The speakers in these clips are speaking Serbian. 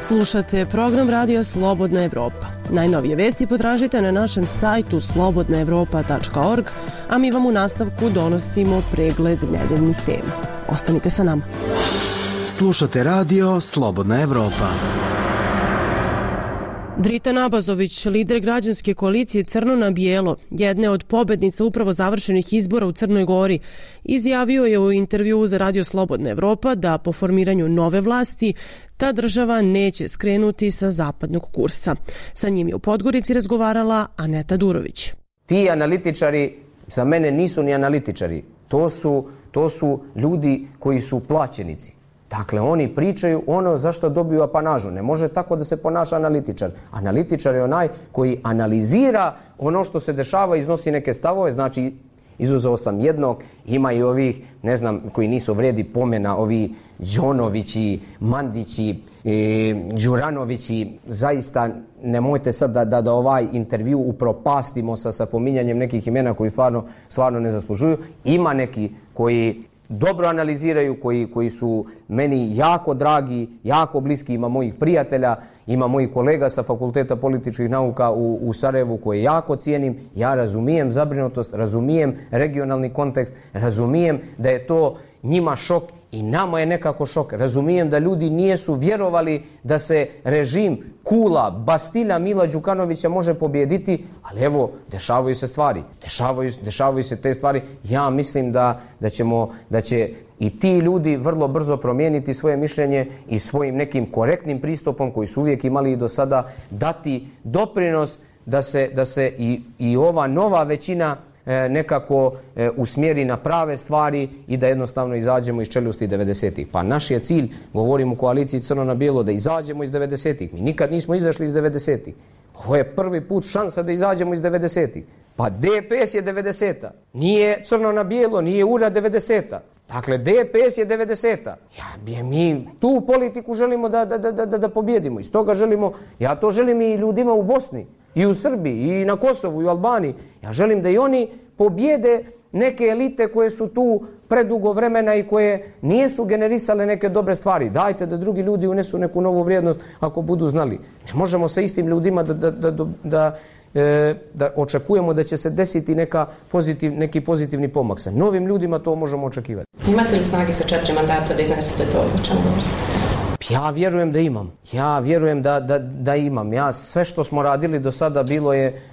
Slušate program radija Slobodna Evropa. Najnovije vesti potražite na našem sajtu slobodnaevropa.org, a mi vam u nastavku donosimo pregled nedeljnih tema. Ostanite sa nama. Slušate radio Slobodna Evropa. Dritan Abazović, lider građanske koalicije Crno na bijelo, jedne od pobednica upravo završenih izbora u Crnoj Gori, izjavio je u intervjuu za radio Slobodna Evropa da po formiranju nove vlasti ta država neće skrenuti sa zapadnog kursa. Sa njim je u Podgorici razgovarala Aneta Durović. Ti analitičari za mene nisu ni analitičari. To su ljudi koji su plaćenici. Dakle, oni pričaju ono za što dobiju apanažu. Ne može tako da se ponaša analitičar. Analitičar je onaj koji analizira ono što se dešava, iznosi neke stavove, znači izuzeo sam jednog, ima i ovih, ne znam, koji nisu vredi pomena, ovi Đonovići, Mandići, Đuranovići, zaista nemojte sad da ovaj intervju upropastimo sa pominjanjem nekih imena koji stvarno ne zaslužuju. Ima neki koji dobro analiziraju, koji su meni jako dragi, jako bliski, ima mojih prijatelja, ima mojih kolega sa Fakulteta političkih nauka u Sarajevu koje jako cijenim. Ja razumijem zabrinutost, razumijem regionalni kontekst, razumijem da je to njima šok i nama je nekako šok. Razumijem da ljudi nisu vjerovali da se režim Kula, Bastilja Mila Đukanovića može pobijediti, ali evo, dešavaju se stvari. Dešavaju se te stvari. Ja mislim da će i ti ljudi vrlo brzo promijeniti svoje mišljenje i svojim nekim korektnim pristupom koji su uvijek imali i do sada dati doprinos da se i ova nova većina nekako usmjeri na prave stvari i da jednostavno izađemo iz čeljusti 90-ih. Pa naš je cilj, govorim u koaliciji Crno na bijelo, da izađemo iz 90-ih. Mi nikad nismo izašli iz 90-ih. Ovo je prvi put šansa da izađemo iz 90-ih. Pa DPS je 90-a. Nije Crno na bijelo, nije URA 90-a. Dakle, DPS je 90-a. Mi tu politiku želimo da pobjedimo. Iz toga želimo, ja to želim i ljudima u Bosni, i u Srbiji, i na Kosovu, i u Albaniji. Ja želim da i oni pobjede neke elite koje su tu predugo vremena i koje nisu generisale neke dobre stvari. Dajte da drugi ljudi unesu neku novu vrijednost ako budu znali. Ne možemo sa istim ljudima da očekujemo da će se desiti neki pozitivni pomak. Sa novim ljudima to možemo očekivati. Imate li snage sa 4 mandata da iznesete to o čemu govorite? Ja vjerujem da imam. Ja vjerujem da imam. Ja sve što smo radili do sada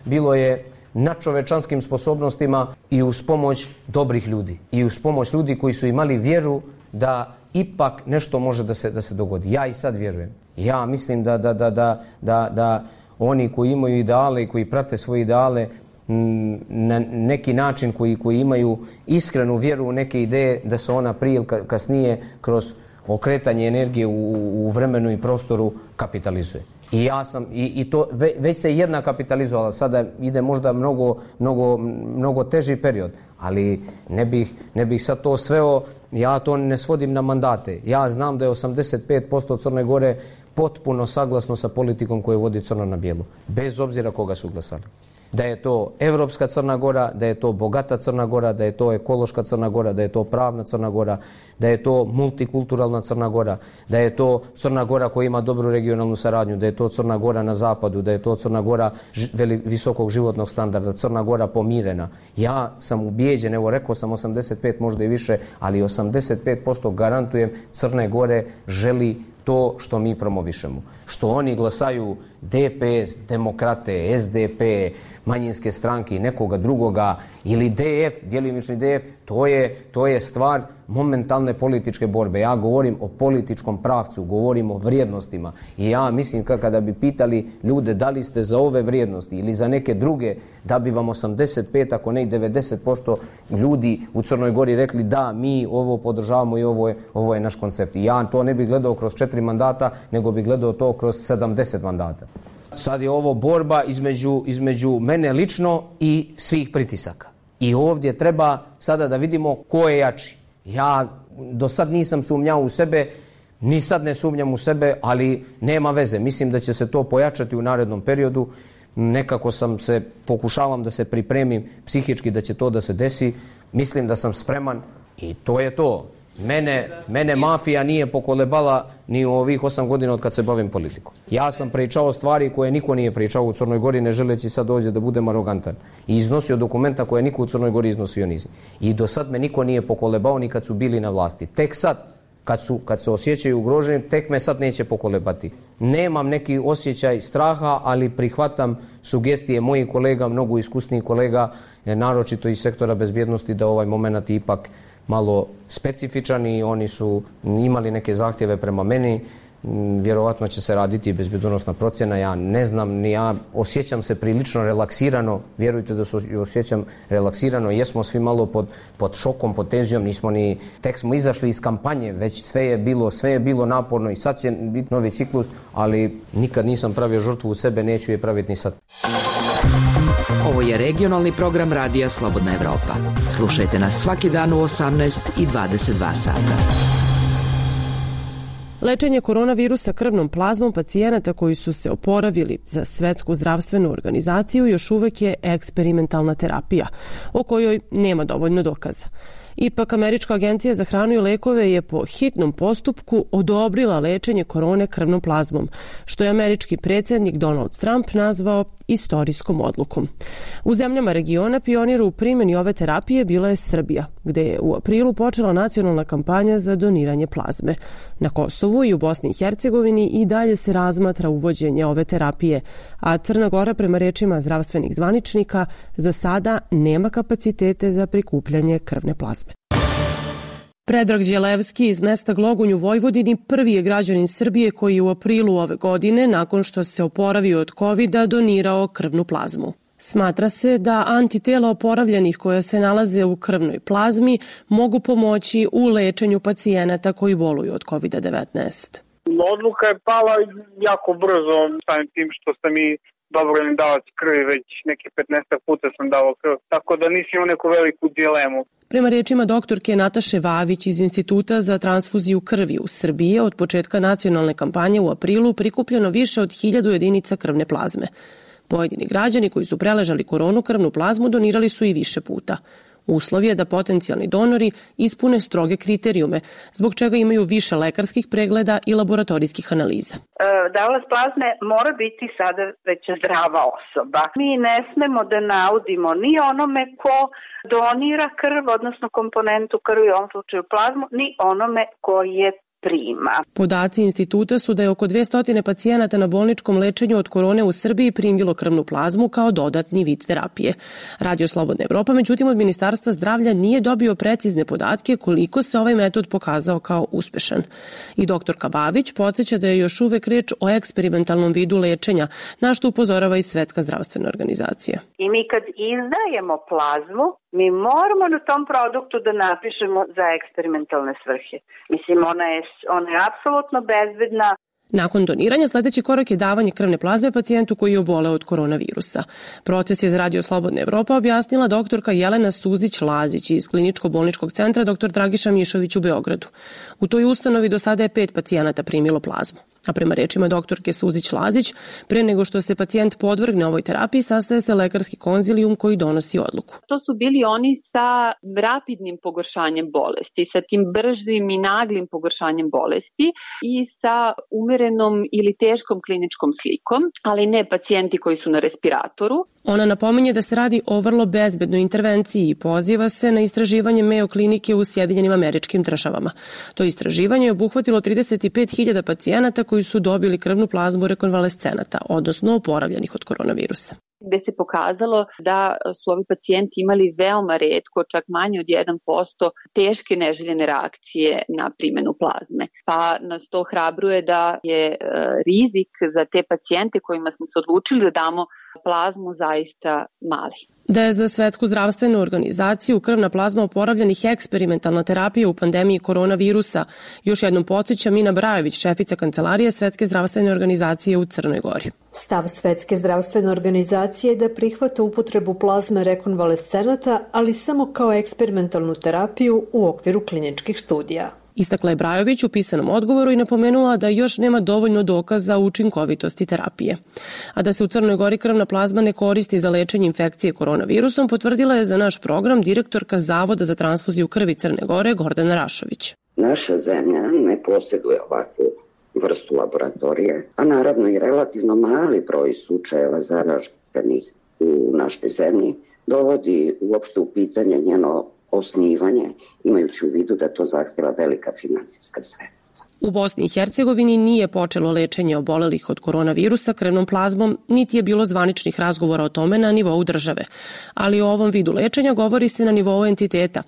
bilo je na čovečanskim sposobnostima i uz pomoć dobrih ljudi. I uz pomoć ljudi koji su imali vjeru da ipak nešto može da se dogodi. Ja i sad vjerujem. Ja mislim da oni koji imaju ideale i koji prate svoje ideale na neki način koji imaju iskrenu vjeru u neke ideje, da se ona prije ili kasnije kroz okretanje energije u vremenu i prostoru kapitalizuje. I ja sam, i to već se jedna kapitalizovala, sada ide možda mnogo teži period, ali ne bih sad to sveo, ja to ne svodim na mandate. Ja znam da je 85% Crne Gore potpuno saglasno sa politikom koju vodi Crno na bijelo, bez obzira koga su glasali. Da je to evropska Crna Gora, da je to bogata Crna Gora, da je to ekološka Crna Gora, da je to pravna Crna Gora, da je to multikulturalna Crna Gora, da je to Crna Gora koja ima dobru regionalnu saradnju, da je to Crna Gora na zapadu, da je to Crna Gora visokog životnog standarda, Crna Gora pomirena. Ja sam ubijeđen, evo rekao sam 85, možda i više, ali 85% garantujem Crne Gore želi to što mi promovišemo. Što oni glasaju DPS, demokrate, SDP, manjinske stranke i nekoga drugoga ili DF, djelimični DF, to je stvar momentalne političke borbe. Ja govorim o političkom pravcu, govorim o vrijednostima i ja mislim kada bi pitali ljude da li ste za ove vrijednosti ili za neke druge, da bi vam 85, ako ne i 90% ljudi u Crnoj Gori rekli da, mi ovo podržavamo i ovo je naš koncept. I ja to ne bih gledao kroz 4 mandata, nego bih gledao to kroz 70 mandata. Sad je ovo borba između mene lično i svih pritisaka. I ovdje treba sada da vidimo ko je jači. Ja do sad nisam sumnjao u sebe, ni sad ne sumnjam u sebe, ali nema veze. Mislim da će se to pojačati u narednom periodu. nekako pokušavam da se pripremim psihički da će to da se desi. Mislim da sam spreman i to je to. Mene mafija nije pokolebala ni u ovih 8 godina od kad se bavim politikom. Ja sam pričao stvari koje niko nije pričao u Crnoj Gori, ne želeći sad ovdje da budem arogantan. I iznosio dokumenta koje niko u Crnoj Gori iznosio nizi. I do sad me niko nije pokolebao ni kad su bili na vlasti. Tek sad, kad se osjećaju ugroženi, tek me sad neće pokolebati. Nemam neki osjećaj straha, ali prihvatam sugestije mojih kolega, mnogo iskusnijih kolega, naročito iz sektora bezbjednosti, da ovaj moment ipak malo specifičan i oni su imali neke zahtjeve prema meni. Vjerovatno će se raditi bezbjednosna procjena, ja ne znam, ja osjećam se prilično relaksirano, vjerujte da se osjećam relaksirano, jesmo svi malo pod šokom, pod tenzijom, tek smo izašli iz kampanje, već sve je bilo naporno i sad će biti novi ciklus, ali nikad nisam pravio žrtvu u sebe, neću je praviti ni sad. Ovo je regionalni program Radija Slobodna Evropa. Slušajte nas svaki dan u 18 i 22 sata. Lečenje koronavirusa krvnom plazmom pacijenata koji su se oporavili za Svetsku zdravstvenu organizaciju još uvek je eksperimentalna terapija, o kojoj nema dovoljno dokaza. Ipak, Američka agencija za hranu i lekove je po hitnom postupku odobrila lečenje korone krvnom plazmom, što je američki predsjednik Donald Trump nazvao istorijskom odlukom. U zemljama regiona pionir u primjeni ove terapije bila je Srbija, gde je u aprilu počela nacionalna kampanja za doniranje plazme. Na Kosovu i u Bosni i Hercegovini i dalje se razmatra uvođenje ove terapije, a Crna Gora, prema rečima zdravstvenih zvaničnika, za sada nema kapacitete za prikupljanje krvne plazme. Predrag Đelevski iz mesta Glogunj u Vojvodini prvi je građanin Srbije koji je u aprilu ove godine, nakon što se oporavio od COVID-a, donirao krvnu plazmu. Smatra se da antitela oporavljenih koja se nalaze u krvnoj plazmi mogu pomoći u lečenju pacijenata koji boluju od COVID-19. Odluka je pala jako brzo, samim tim što sam i dobrovoljni davac krvi, već neke 15 puta sam davao krv, tako da nisam imao neku veliku dilemu. Prema rečima doktorke Nataše Vavić iz Instituta za transfuziju krvi u Srbiji, od početka nacionalne kampanje u aprilu prikupljeno više od 1000 jedinica krvne plazme. Pojedini građani koji su preležali koronu krvnu plazmu donirali su i više puta. Uslov je da potencijalni donori ispune stroge kriterijume, zbog čega imaju više lekarskih pregleda i laboratorijskih analiza. Davalac plazme mora biti sada već zdrava osoba. Mi ne smemo da naudimo ni onome ko donira krv, odnosno komponentu krvi, u ovom slučaju plazmu, ni onome ko je prima. Podaci instituta su da je oko 200 pacijenata na bolničkom lečenju od korone u Srbiji primilo krvnu plazmu kao dodatni vid terapije. Radio Slobodna Evropa, međutim, od Ministarstva zdravlja nije dobio precizne podatke koliko se ovaj metod pokazao kao uspešan. I doktorka Bavić podsjeća da je još uvek reč o eksperimentalnom vidu lečenja, na što upozorava i Svetska zdravstvena organizacija. I mi kad izdajemo plazmu, mi moramo na tom produktu da napišemo za eksperimentalne svrhe. Mislim, ona je apsolutno bezbedna. Nakon doniranja sljedeći korak je davanje krvne plazme pacijentu koji je oboleo od koronavirusa. Proces je za Radio Slobodna Evropa objasnila doktorka Jelena Suzić-Lazić iz Kliničko-bolničkog centra dr. Dragiša Mišović u Beogradu. U toj ustanovi do sada je 5 pacijenata primilo plazmu. A prema rečima doktorke Suzić-Lazić, pre nego što se pacijent podvrgne ovoj terapiji, sastaje se lekarski konzilijum koji donosi odluku. To su bili oni sa rapidnim pogoršanjem bolesti, sa tim bržim i naglim pogoršanjem bolesti i sa umerenom ili teškom kliničkom slikom, ali ne pacijenti koji su na respiratoru. Ona napominje da se radi o vrlo bezbednoj intervenciji i poziva se na istraživanje Mayo klinike u Sjedinjenim Američkim Državama. To istraživanje je obuhvatilo 35.000 pacijenata koji su dobili krvnu plazmu rekonvalescenata, odnosno oporavljenih od koronavirusa. Gde se pokazalo da su ovi pacijenti imali veoma retko, čak manje od 1%, teške neželjene reakcije na primjenu plazme. Pa nas to ohrabruje da je rizik za te pacijente kojima smo se odlučili da damo plazmu zaista mali. Da je za Svetsku zdravstvenu organizaciju krvna plazma oporavljenih eksperimentalna terapija u pandemiji koronavirusa, još jednom podsjeća Mina Brajević, šefica kancelarije Svetske zdravstvene organizacije u Crnoj Gori. Stav Svetske zdravstvene organizacije je da prihvata upotrebu plazme rekonvalescenata, ali samo kao eksperimentalnu terapiju u okviru kliničkih studija. Istakla je Brajović u pisanom odgovoru i napomenula da još nema dovoljno dokaza o učinkovitosti terapije. A da se u Crnoj Gori krvna plazma ne koristi za lečenje infekcije koronavirusom, potvrdila je za naš program direktorka Zavoda za transfuziju krvi Crne Gore Gordana Rašović. Naša zemlja ne posjeduje ovakvu vrstu laboratorije, a naravno i relativno mali broj slučajeva zaraženih u našoj zemlji dovodi uopšte u pitanje njeno osnivanje, imajući u vidu da to zahtjeva velika finansijska sredstva. U Bosni i Hercegovini nije počelo lečenje obolelih od koronavirusa krvnom plazmom, niti je bilo zvaničnih razgovora o tome na nivou države. Ali o ovom vidu lečenja govori se na nivou entiteta.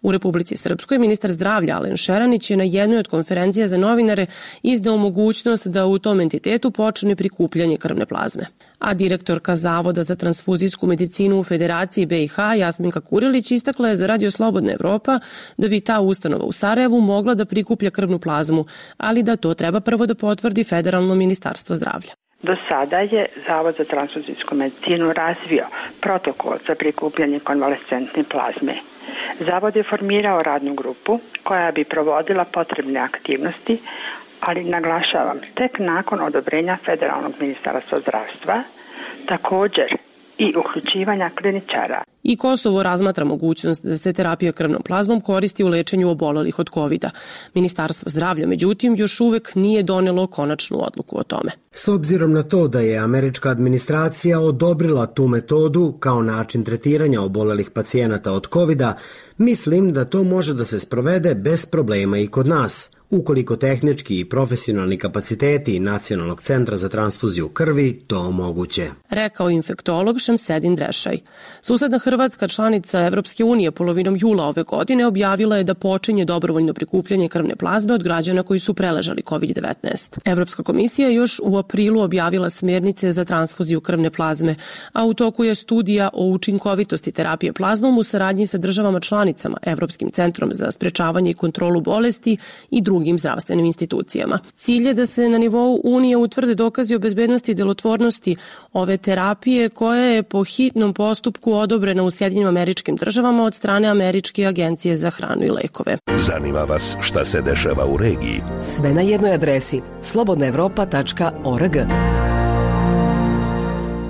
U Republici Srpskoj ministar zdravlja Alen Šeranić je na jednoj od konferencija za novinare izdao mogućnost da u tom entitetu počne prikupljanje krvne plazme. A direktorka Zavoda za transfuzijsku medicinu u Federaciji BiH Jasminka Kurilić istakla je za Radio Slobodna Evropa da bi ta ustanova u Sarajevu mogla da prikuplja krvnu plazmu, ali da to treba prvo da potvrdi Federalno ministarstvo zdravlja. Do sada je Zavod za transfuzijsku medicinu razvio protokol za prikupljanje konvalescentne plazme. Zavod je formirao radnu grupu koja bi provodila potrebne aktivnosti, ali naglašavam, tek nakon odobrenja Federalnog ministarstva zdravstva, također i uključivanja kliničara. I Kosovo razmatra mogućnost da se terapija krvnom plazmom koristi u lečenju obolelih od COVID-a. Ministarstvo zdravlja, međutim, još uvek nije donelo konačnu odluku o tome. S obzirom na to da je američka administracija odobrila tu metodu kao način tretiranja obolelih pacijenata od COVID-a, mislim da to može da se sprovede bez problema i kod nas, ukoliko tehnički i profesionalni kapaciteti Nacionalnog centra za transfuziju krvi to omoguće. Rekao infektolog Šemsedin Drešaj. Susedna Hrvatska, članica Evropske unije, polovinom jula ove godine objavila je da počinje dobrovoljno prikupljanje krvne plazme od građana koji su preležali COVID-19. Evropska komisija još u aprilu objavila smjernice za transfuziju krvne plazme, a u toku je studija o učinkovitosti terapije plazmom u saradnji sa državama članicama, Evropskim centrom za sprečavanje i kontrolu bolesti i drugim zdravstvenim institucijama. Cilj je da se na nivou Unije utvrde dokazi o bezbednosti i delotvornosti ove terapije koja je po hitnom postupku odobrena u Sjedinjenim Američkim Državama od strane Američke agencije za hranu i lekove. Zanima vas šta se dešava u regiji? Sve na jednoj adresi slobodnaevropa.org.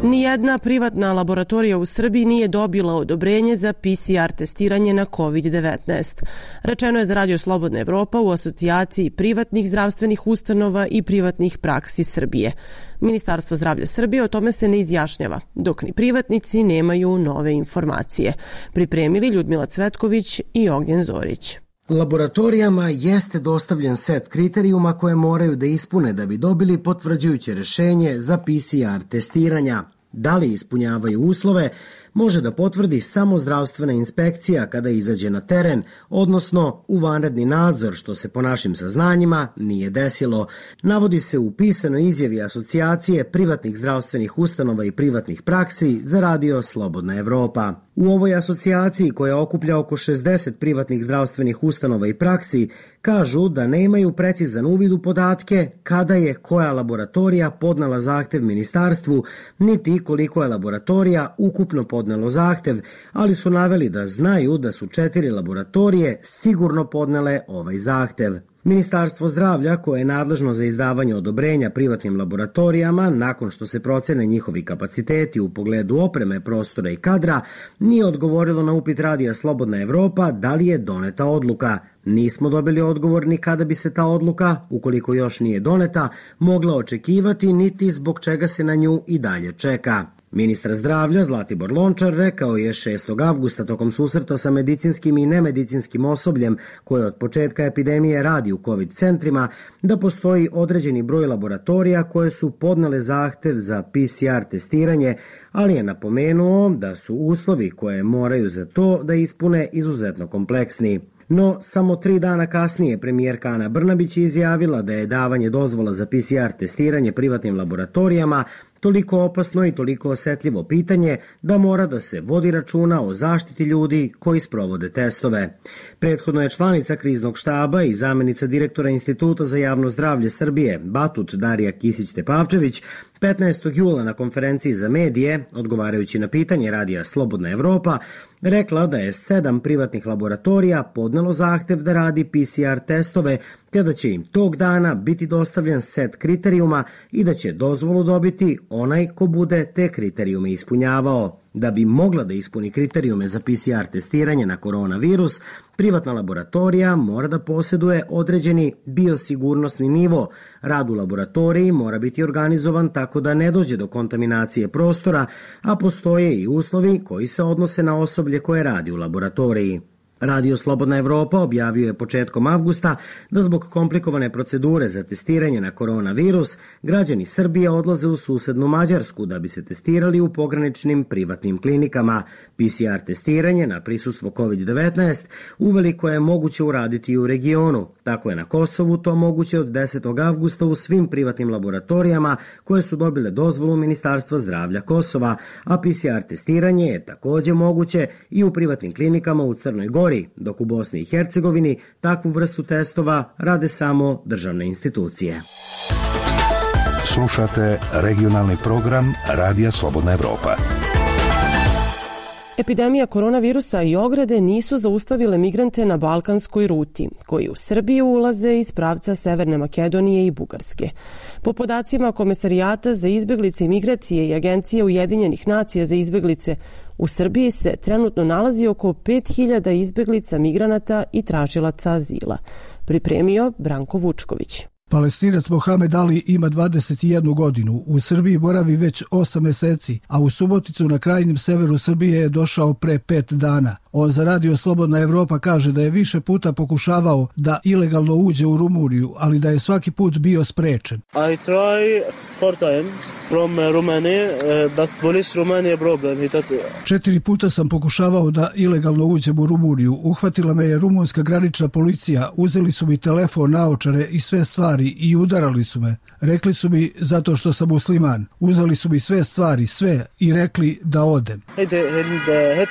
Nijedna privatna laboratorija u Srbiji nije dobila odobrenje za PCR testiranje na COVID-19. Rečeno je za Radio Slobodna Evropa u asocijaciji privatnih zdravstvenih ustanova i privatnih praksi Srbije. Ministarstvo zdravlja Srbije o tome se ne izjašnjava, dok ni privatnici nemaju nove informacije. Pripremili Ljudmila Cvetković i Ognjen Zorić. Laboratorijama jeste dostavljen set kriterijuma koje moraju da ispune da bi dobili potvrđujuće rešenje za PCR testiranja. Da li ispunjavaju uslove, može da potvrdi samo zdravstvena inspekcija kada izađe na teren, odnosno u vanredni nadzor, što se po našim saznanjima nije desilo. Navodi se u pisanoj izjavi asocijacije privatnih zdravstvenih ustanova i privatnih praksi za Radio Slobodna Evropa. U ovoj asocijaciji, koja okuplja oko 60 privatnih zdravstvenih ustanova i praksi, kažu da nemaju precizan uvid u podatke kada je koja laboratorija podnela zahtev ministarstvu, niti koliko je laboratorija ukupno podnelo zahtev, ali su naveli da znaju da su 4 laboratorije sigurno podnele ovaj zahtev. Ministarstvo zdravlja, koje je nadležno za izdavanje odobrenja privatnim laboratorijama, nakon što se procene njihovi kapaciteti u pogledu opreme, prostora i kadra, nije odgovorilo na upit Radija Slobodna Evropa da li je doneta odluka. Nismo dobili odgovor ni kada bi se ta odluka, ukoliko još nije doneta, mogla očekivati, niti zbog čega se na nju i dalje čeka. Ministar zdravlja Zlatibor Lončar rekao je 6. avgusta tokom susreta sa medicinskim i nemedicinskim osobljem koje od početka epidemije radi u COVID centrima da postoji određeni broj laboratorija koje su podnele zahtev za PCR testiranje, ali je napomenuo da su uslovi koje moraju za to da ispune izuzetno kompleksni. No, samo 3 dana kasnije premijerka Ana Brnabić je izjavila da je davanje dozvola za PCR testiranje privatnim laboratorijama toliko opasno i toliko osetljivo pitanje da mora da se vodi računa o zaštiti ljudi koji sprovode testove. Prethodno je članica kriznog štaba i zamjenica direktora Instituta za javno zdravlje Srbije, Batut Darija Kisić-Tepavčević, 15. jula na konferenciji za medije, odgovarajući na pitanje radija Slobodna Evropa, rekla da je 7 privatnih laboratorija podnelo zahtev da radi PCR testove, te da će im tog dana biti dostavljen set kriterijuma i da će dozvolu dobiti onaj ko bude te kriterijume ispunjavao. Da bi mogla da ispuni kriterijume za PCR testiranje na koronavirus, privatna laboratorija mora da posjeduje određeni biosigurnosni nivo. Rad u laboratoriji mora biti organizovan tako da ne dođe do kontaminacije prostora, a postoje i uslovi koji se odnose na osoblje koje radi u laboratoriji. Radio Slobodna Evropa objavio je početkom avgusta da zbog komplikovane procedure za testiranje na koronavirus, građani Srbije odlaze u susednu Mađarsku da bi se testirali u pograničnim privatnim klinikama. PCR testiranje na prisustvo COVID-19 uveliko je moguće uraditi i u regionu. Tako je na Kosovu to moguće od 10. avgusta u svim privatnim laboratorijama koje su dobile dozvolu Ministarstva zdravlja Kosova, a PCR testiranje je također moguće i u privatnim klinikama u Crnoj Gori, dok u Bosni i Hercegovini takvu vrstu testova rade samo državne institucije. Slušate regionalni program Radija Slobodna Evropa. Epidemija koronavirusa i ograde nisu zaustavile migrante na balkanskoj ruti, koji u Srbiju ulaze iz pravca Severne Makedonije i Bugarske. Po podacima Komesarijata za izbeglice i migracije i Agencije Ujedinjenih nacija za izbeglice, u Srbiji se trenutno nalazi oko 5000 izbeglica, migranata i tražilaca azila. Pripremio Branko Vučković. Palestinac Mohamed Ali ima 21 godinu, u Srbiji boravi već 8 meseci, a u Suboticu na krajnjem severu Srbije je došao pre 5 dana. On za Radio Slobodna Evropa kaže da je više puta pokušavao da ilegalno uđe u Rumuniju, ali da je svaki put bio sprečen. I try 4 times from Romania, but police Romania problem. 4 puta sam pokušavao da ilegalno uđem u Rumuniju. Uhvatila me je rumunska granična policija, uzeli su mi telefon, naočare i sve stvari i udarali su me. Rekli su mi zato što sam musliman. Uzeli su mi sve stvari, sve, i rekli da odem. Hit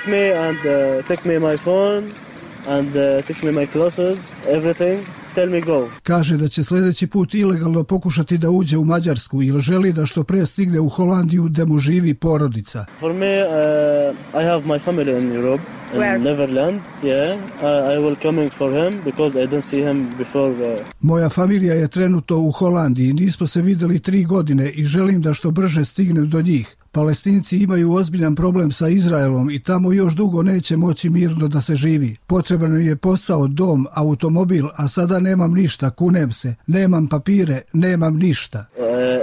me and take me my phone and take me my clothes, everything. Tell me go. Kaže da će sljedeći put ilegalno pokušati da uđe u Mađarsku ili želi da što pre stigne u Holandiju gde mu živi porodica. For me, I have my family in Europe, in Neverland. Yeah, I will coming for him because I don't see him before. Moja familija je trenutno u Holandiji, nismo se videli 3 godine i želim da što brže stignem do njih. Palestinci imaju ozbiljan problem sa Izraelom i tamo još dugo neće moći mirno da se živi. Potreban je posao, dom, automobil, a sada nemam ništa, kunem se. Nemam papire, nemam ništa.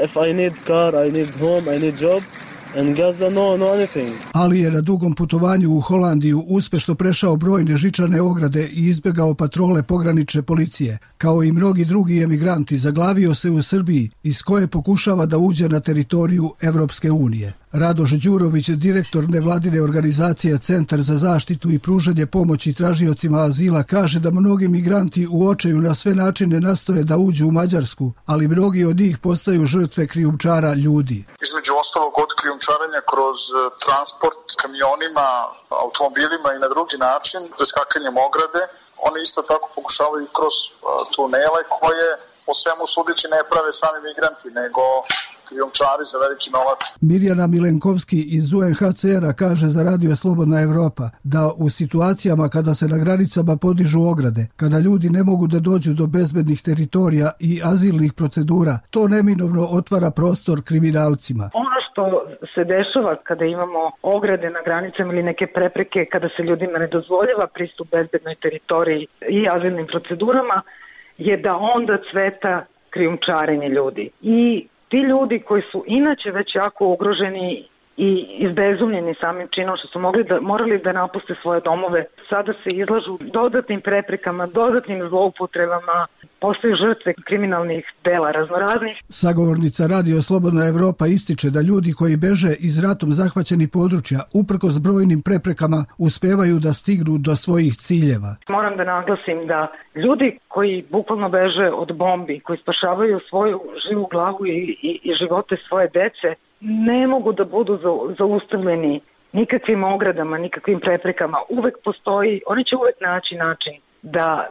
If I need car, I need home, I need job. And Gaza, no anything. Ali je na dugom putovanju u Holandiju uspešno prešao brojne žičane ograde i izbjegao patrole pogranične policije. Kao i mnogi drugi emigranti, zaglavio se u Srbiji, iz koje pokušava da uđe na teritoriju Evropske unije. Radoš Đurović, direktor nevladine organizacije Centar za zaštitu i pružanje pomoći tražiocima azila, kaže da mnogi migranti u očaju na sve načine nastoje da uđu u Mađarsku, ali mnogi od njih postaju žrtve krijumčara ljudi. Između ostalog od krijumčarenja kroz transport kamionima, automobilima i na drugi način, preskakanjem ograde, oni isto tako pokušavaju kroz tunele koje po svemu sudeći ne prave sami migranti, nego krijumčari za veliki novac. Mirjana Milenkovski iz UNHCR-a kaže za Radio Slobodna Evropa da u situacijama kada se na granicama podižu ograde, kada ljudi ne mogu da dođu do bezbednih teritorija i azilnih procedura, to neminovno otvara prostor kriminalcima. Ono što se dešava kada imamo ograde na granicama ili neke prepreke, kada se ljudima ne dozvoljava pristup bezbednoj teritoriji i azilnim procedurama, je da onda cveta krijumčarenje ljudi. I ti ljudi koji su inače već jako ugroženi i izbezumljeni samim činom što su morali da napuste svoje domove, sada se izlažu dodatnim preprekama, dodatnim zloupotrebama, postaju žrtve kriminalnih dela raznoraznih. Sagovornica Radio Slobodna Evropa ističe da ljudi koji beže iz ratom zahvaćenih područja, uprkos brojnim preprekama, uspevaju da stignu do svojih ciljeva. Moram da naglasim da ljudi koji bukvalno beže od bombi, koji spašavaju svoju živu glavu i živote svoje dece, ne mogu da budu zaustavljeni nikakvim ogradama, nikakvim preprekama. Uvek postoji, oni će uvek naći način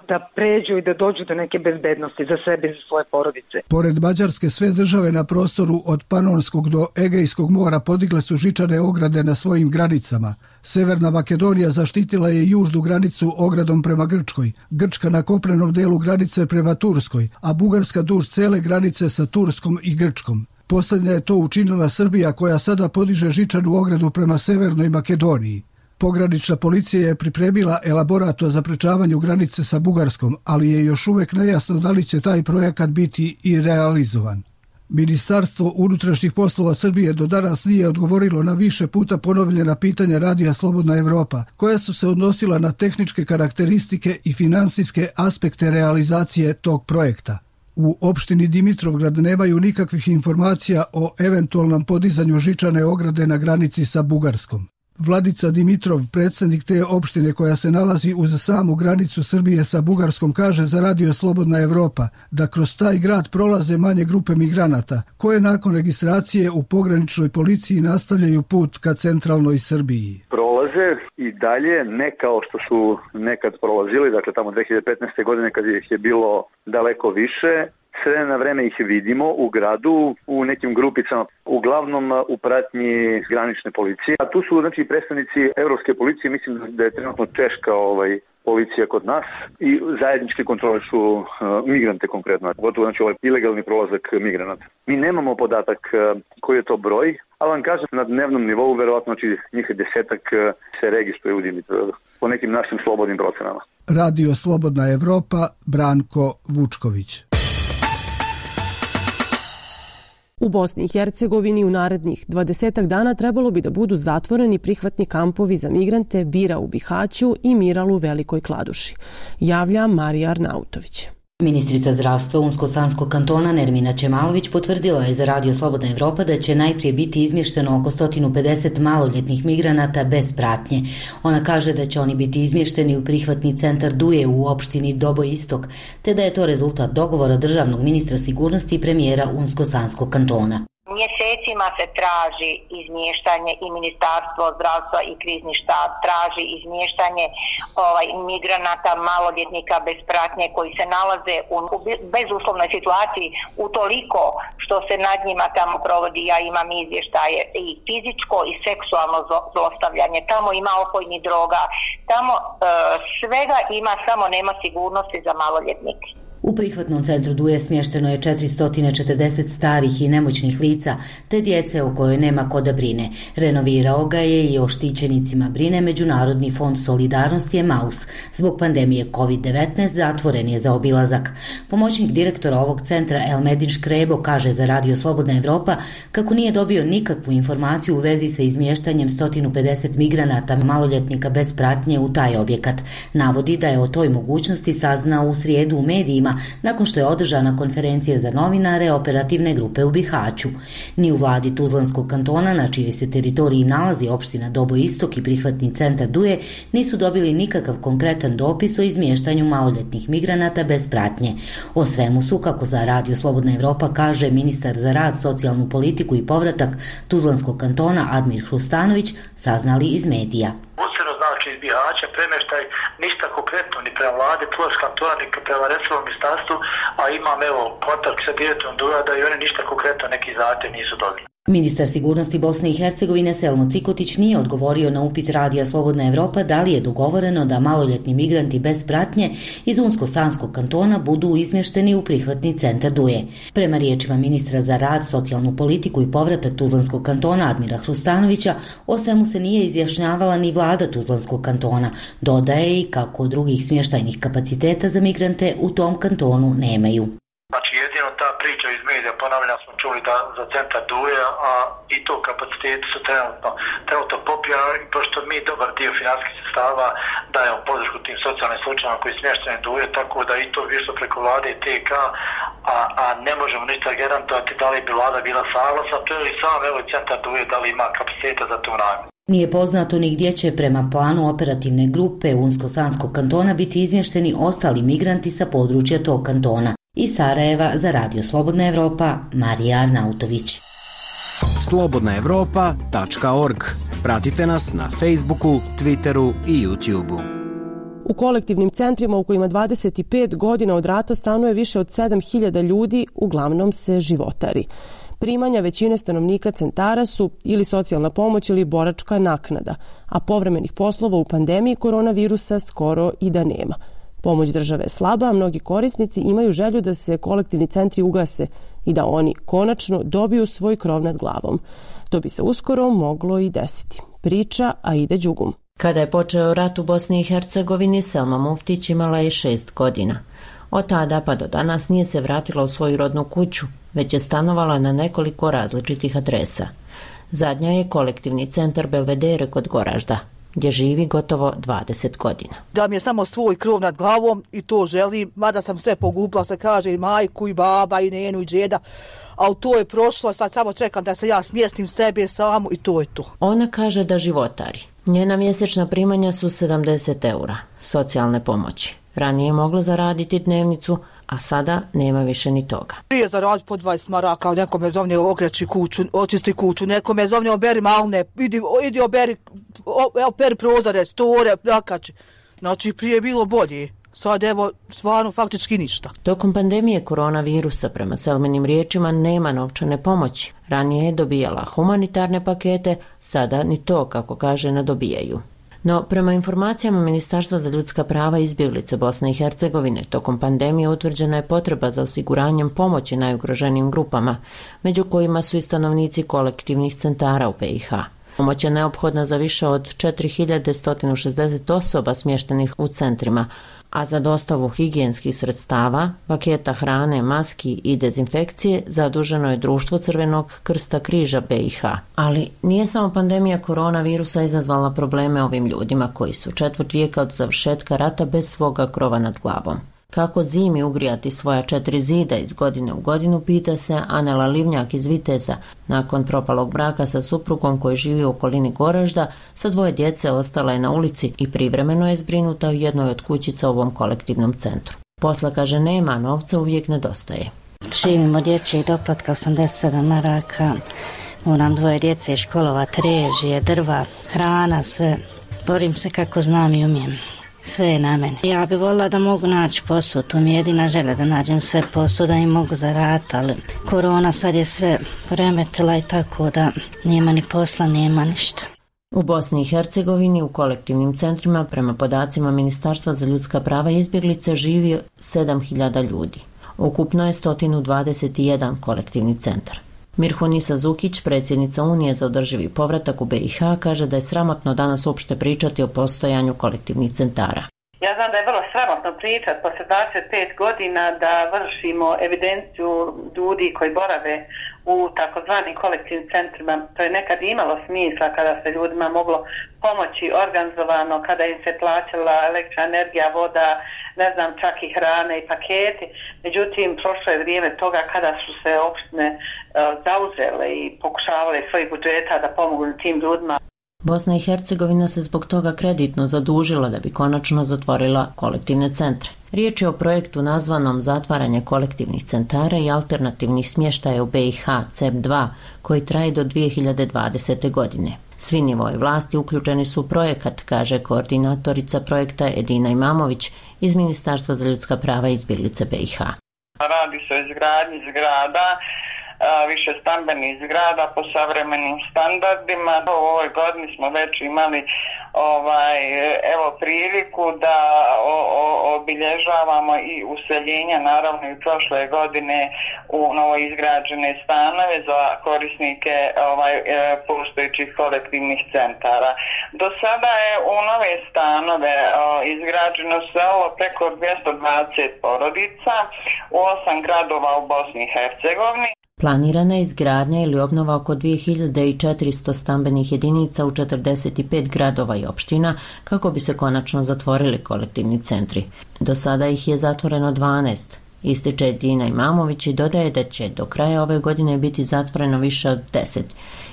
da pređu i da dođu do neke bezbednosti za sebe i za svoje porodice. Pored Mađarske, sve države na prostoru od Panonskog do Egejskog mora podigle su žičane ograde na svojim granicama. Severna Makedonija zaštitila je južnu granicu ogradom prema Grčkoj, Grčka na kopnenom delu granice prema Turskoj, a Bugarska duž cele granice sa Turskom i Grčkom. Poslednja je to učinila Srbija, koja sada podiže žičanu ogradu prema Severnoj Makedoniji. Pogranična policija je pripremila elaborat o zaprečavanju granice sa Bugarskom, ali je još uvek nejasno da li će taj projekat biti i realizovan. Ministarstvo unutrašnjih poslova Srbije do danas nije odgovorilo na više puta ponovljena pitanja Radija Slobodna Evropa, koja su se odnosila na tehničke karakteristike i finansijske aspekte realizacije tog projekta. U opštini Dimitrovgrad nemaju nikakvih informacija o eventualnom podizanju žičane ograde na granici sa Bugarskom. Vladica Dimitrov, predsjednik te opštine koja se nalazi uz samu granicu Srbije sa Bugarskom, kaže za Radio Slobodna Evropa da kroz taj grad prolaze manje grupe migranata, koje nakon registracije u pograničnoj policiji nastavljaju put ka centralnoj Srbiji. Prolaze i dalje, ne kao što su nekad prolazili, dakle tamo 2015. godine kad ih je bilo daleko više. Sve na vreme ih vidimo u gradu, u nekim grupicama, uglavnom u pratnji granične policije. A tu su znači predstavnici Evropske policije, mislim da je trenutno češka policija kod nas i zajedničke kontrole su migrante konkretno, gotovo znači ilegalni prolazak migranata. Mi nemamo podatak koji je to broj, ali vam kažem na dnevnom nivou verovatno znači njih 10 se registruje u Dimitrovgradu po nekim našim slobodnim procenama. Radio Slobodna Evropa, Branko Vučković. U Bosni i Hercegovini u narednih 20 dana trebalo bi da budu zatvoreni prihvatni kampovi za migrante Bira u Bihaću i Miral u Velikoj Kladuši, javlja Marija Arnautović. Ministrica zdravstva Unsko-Sanskog kantona Nermina Čemalović potvrdila je za Radio Slobodna Evropa da će najprije biti izmješteno oko 150 maloljetnih migranata bez pratnje. Ona kaže da će oni biti izmješteni u prihvatni centar Duje u opštini Doboj Istok, te da je to rezultat dogovora državnog ministra sigurnosti i premijera Unsko-Sanskog kantona. Mjesecima se traži izmještanje i Ministarstvo zdravstva i krizni štab traži izmještanje migranata, maloljetnika bez pratnje koji se nalaze u bezuslovnoj situaciji utoliko što se nad njima tamo provodi, ja imam izvještaje, i fizičko i seksualno zlostavljanje. Tamo ima opojnih droga, tamo svega ima, samo nema sigurnosti za maloljetnike. U prihvatnom centru Duje smješteno je 440 starih i nemoćnih lica, te djece o kojoj nema ko da brine. Renovirao ga je i o štićenicima brine Međunarodni fond solidarnosti Emaus. Zbog pandemije COVID-19 zatvoren je za obilazak. Pomoćnik direktora ovog centra Elmedin Škrebo kaže za Radio Slobodna Evropa kako nije dobio nikakvu informaciju u vezi sa izmještanjem 150 migranata maloljetnika bez pratnje u taj objekat. Navodi da je o toj mogućnosti saznao u srijedu u medijima nakon što je održana konferencija za novinare operativne grupe u Bihaću. Ni u vladi Tuzlanskog kantona, na čijoj se teritoriji nalazi opština Doboj Istok i prihvatni centar Duje, nisu dobili nikakav konkretan dopis o izmještanju maloljetnih migranata bez pratnje. O svemu su, kako za Radio Slobodna Evropa kaže ministar za rad, socijalnu politiku i povratak Tuzlanskog kantona Admir Hrustanović, saznali iz medija. Znači iz Bihaća premještaj ništa konkretno ni prema vladi Tuzlanskog kantona ni prema resornom ministarstvu, a imam kontakt sa direktorom Duja da i oni ništa konkretno neki zahtjev nisu dobili. Ministar sigurnosti Bosne i Hercegovine Selmo Cikotić nije odgovorio na upit Radija Slobodna Evropa da li je dogovoreno da maloljetni migranti bez pratnje iz Unsko-Sanskog kantona budu izmješteni u prihvatni centar Duje. Prema riječima ministra za rad, socijalnu politiku i povratak Tuzlanskog kantona Admira Hrustanovića, o svemu se nije izjašnjavala ni vlada Tuzlanskog kantona. Dodaje i kako drugih smještajnih kapaciteta za migrante u tom kantonu nemaju. Znači jedino ta priča iz medija, ponavljam, smo čuli da za centar Duje, a i to kapaciteti su trenutno popijani, pošto mi dobar dio financijskih sredstava dajemo podršku tim socijalnim slučajima koji smješteni Duje, tako da i to više preko vlade i TK, a ne možemo ništa garantovati da li bi vlada bila saglasna, to je i sam centar Duje da li ima kapaciteta za tu namjenu. Nije poznato ni gdje će prema planu operativne grupe Unsko-Sanskog kantona biti izmješteni ostali migranti sa područja tog kantona. Iz Sarajeva za Radio Slobodna Evropa, Marija Arnautović. slobodnaevropa.org Pratite nas na Facebooku, Twitteru i YouTubeu. U kolektivnim centrima u kojima 25 godina od rata stanuje više od 7.000 ljudi, uglavnom se životari. Primanja većine stanovnika centara su ili socijalna pomoć ili boračka naknada, a povremenih poslova u pandemiji koronavirusa skoro i da nema. Pomoć države je slaba, a mnogi korisnici imaju želju da se kolektivni centri ugase i da oni konačno dobiju svoj krov nad glavom. To bi se uskoro moglo i desiti. Priča Aida Đugum. Kada je počeo rat u Bosni i Hercegovini, Selma Muftić imala je 6 godina. Od tada pa do danas nije se vratila u svoju rodnu kuću, već je stanovala na nekoliko različitih adresa. Zadnja je kolektivni centar Belvedere kod Goražda, gdje živi gotovo 20 godina. Da mi je samo svoj krov nad glavom i to želim, mada sam sve pogubila, se kaže i majku i baba i nenu i džeda, ali to je prošlo, sad samo čekam da se ja smjestim sebe samu i to je to. Ona kaže da životari. Njena mjesečna primanja su 70 eura socijalne pomoći. Ranije je mogla zaraditi dnevnicu, a sada nema više ni toga. Prije zaraditi po 20 maraka, neko me zovne ogreći kuću, očisti kuću, neko me zovne oberi malne, idi operi prozore, store, plakači. Znači prije je bilo bolje. Sad evo, stvarno faktički ništa. Tokom pandemije koronavirusa, prema Selminim riječima, nema novčane pomoći. Ranije je dobijala humanitarne pakete, sada ni to, kako kaže, ne dobijaju. No, prema informacijama Ministarstva za ljudska prava i izbjeglice Bosne i Hercegovine, tokom pandemije utvrđena je potreba za osiguranjem pomoći najugroženijim grupama, među kojima su i stanovnici kolektivnih centara u BiH. Pomoć je neophodna za više od 4160 osoba smještenih u centrima, a za dostavu higijenskih sredstava, paketa hrane, maski i dezinfekcije zaduženo je Društvo Crvenog krsta križa BiH. Ali nije samo pandemija koronavirusa izazvala probleme ovim ljudima koji su četvrt vijeka od završetka rata bez svoga krova nad glavom. Kako zimi ugrijati svoja 4 zida iz godine u godinu, pita se Anela Livnjak iz Viteza. Nakon propalog braka sa suprugom koji živi u okolini Goražda, sa 2 djece ostala je na ulici i privremeno je zbrinuta u jednoj od kućica u ovom kolektivnom centru. Posla, kaže, nema, novca uvijek nedostaje. Živim od dječjeg doplatka 87 maraka, moram 2 djece školovati, režije, drva, hrana, sve. Borim se kako znam i umijem. Sve je na meni. Ja bih volila da mogu naći posao, to mi je jedina želja da nađem sve posao, da im mogu zaraditi, ali korona sad je sve poremetila i tako da nema ni posla, nema ništa. U Bosni i Hercegovini u kolektivnim centrima, prema podacima Ministarstva za ljudska prava i izbjeglice, živi 7000 ljudi. Ukupno je 121 kolektivni centar. Mirhunisa Zukić, predsjednica Unije za održivi povratak u BiH, kaže da je sramotno danas uopšte pričati o postojanju kolektivnih centara. Ja znam da je vrlo sramotno pričati posle 25 godina da vršimo evidenciju ljudi koji borave u takozvanim kolektivnim centrima. To je nekad imalo smisla kada se ljudima moglo pomoći organizovano, kada im se plaćala električna energija, voda, ne znam, čak i hrane i paketi. Međutim, prošlo je vrijeme toga kada su se opštine zauzele i pokušavale svojih budžeta da pomogu tim ljudima. Bosna i Hercegovina se zbog toga kreditno zadužila da bi konačno zatvorila kolektivne centre. Riječ je o projektu nazvanom Zatvaranje kolektivnih centara i alternativnih smještaja u BiH CEP2, koji traje do 2020. godine. Svi nivoji vlasti uključeni su u projekat, kaže koordinatorica projekta Edina Imamović iz Ministarstva za ljudska prava i izbjeglice BiH. Radi se o izgradnji zgrada, više stambenih zgrada po savremenim standardima. U ovoj godini smo već imali priliku da obilježavamo i useljenja, naravno i prošle godine u novoizgrađene stanove za korisnike postojećih kolektivnih centara. Do sada je u nove stanove izgrađeno selo preko 220 porodica u 8 gradova u Bosni i Hercegovini. Planirana je izgradnja ili obnova oko 2400 stambenih jedinica u 45 gradova i opština kako bi se konačno zatvorili kolektivni centri. Do sada ih je zatvoreno 12. Ističe Edina Imamović i dodaje da će do kraja ove godine biti zatvoreno više od 10,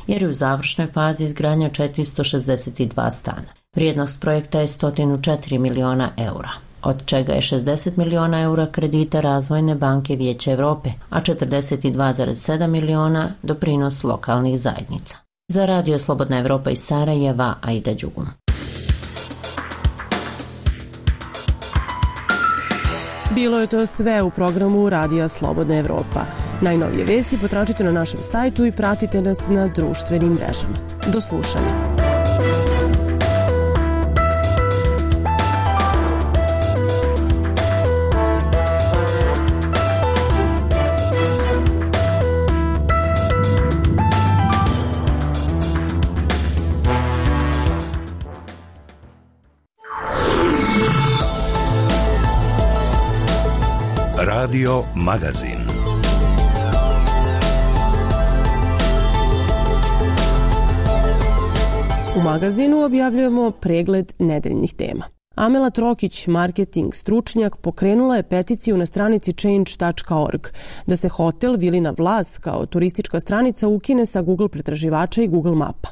jer je u završnoj fazi izgradnja 462 stana. Vrijednost projekta je 104 miliona eura, od čega je 60 miliona eura kredita Razvojne banke Vijeća Europe, a 42,7 miliona doprinos lokalnih zajednica. Za Radio Slobodna Evropa iz Sarajeva, Aida Đugum. Bilo je to sve u programu Radija Slobodna Evropa. Najnovije vesti potražite na našem sajtu i pratite nas na društvenim mrežama. Do slušanja. Radio Magazin. U magazinu objavljujemo pregled nedeljnih tema. Amela Trokić, marketing stručnjak, pokrenula je peticiju na stranici change.org da se hotel Vilina Vlas kao turistička stranica ukine sa Google pretraživača i Google mapa.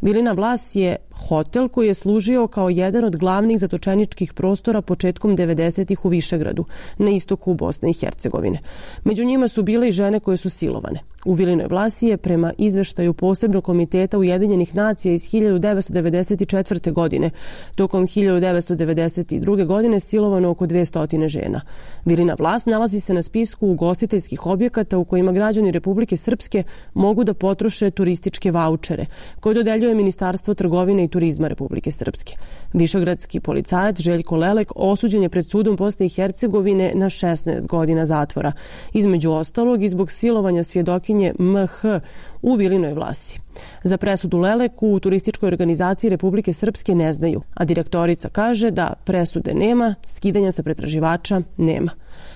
Vilina Vlas je hotel koji je služio kao jedan od glavnih zatočeničkih prostora početkom 90-ih u Višegradu, na istoku Bosne i Hercegovine. Među njima su bile i žene koje su silovane. U Vilinoj Vlasi je, prema izveštaju Posebnog komiteta Ujedinjenih nacija iz 1994. godine, tokom 1992. godine silovano oko 200 žena. Vilina Vlas nalazi se na spisku ugostiteljskih objekata u kojima građani Republike Srpske mogu da potroše turističke vaučere, koje dodeljuje Ministarstvo trgovine i turizma Republike Srpske. Višegradski policajac Željko Lelek osuđen je pred sudom Bosne i Hercegovine na 16 godina zatvora, između ostalog i zbog silovanja svjedokinje MH u Vilinoj Vlasi. Za presudu Leleku u turističkoj organizaciji Republike Srpske ne znaju, a direktorica kaže da presude nema, skidanja sa pretraživača nema.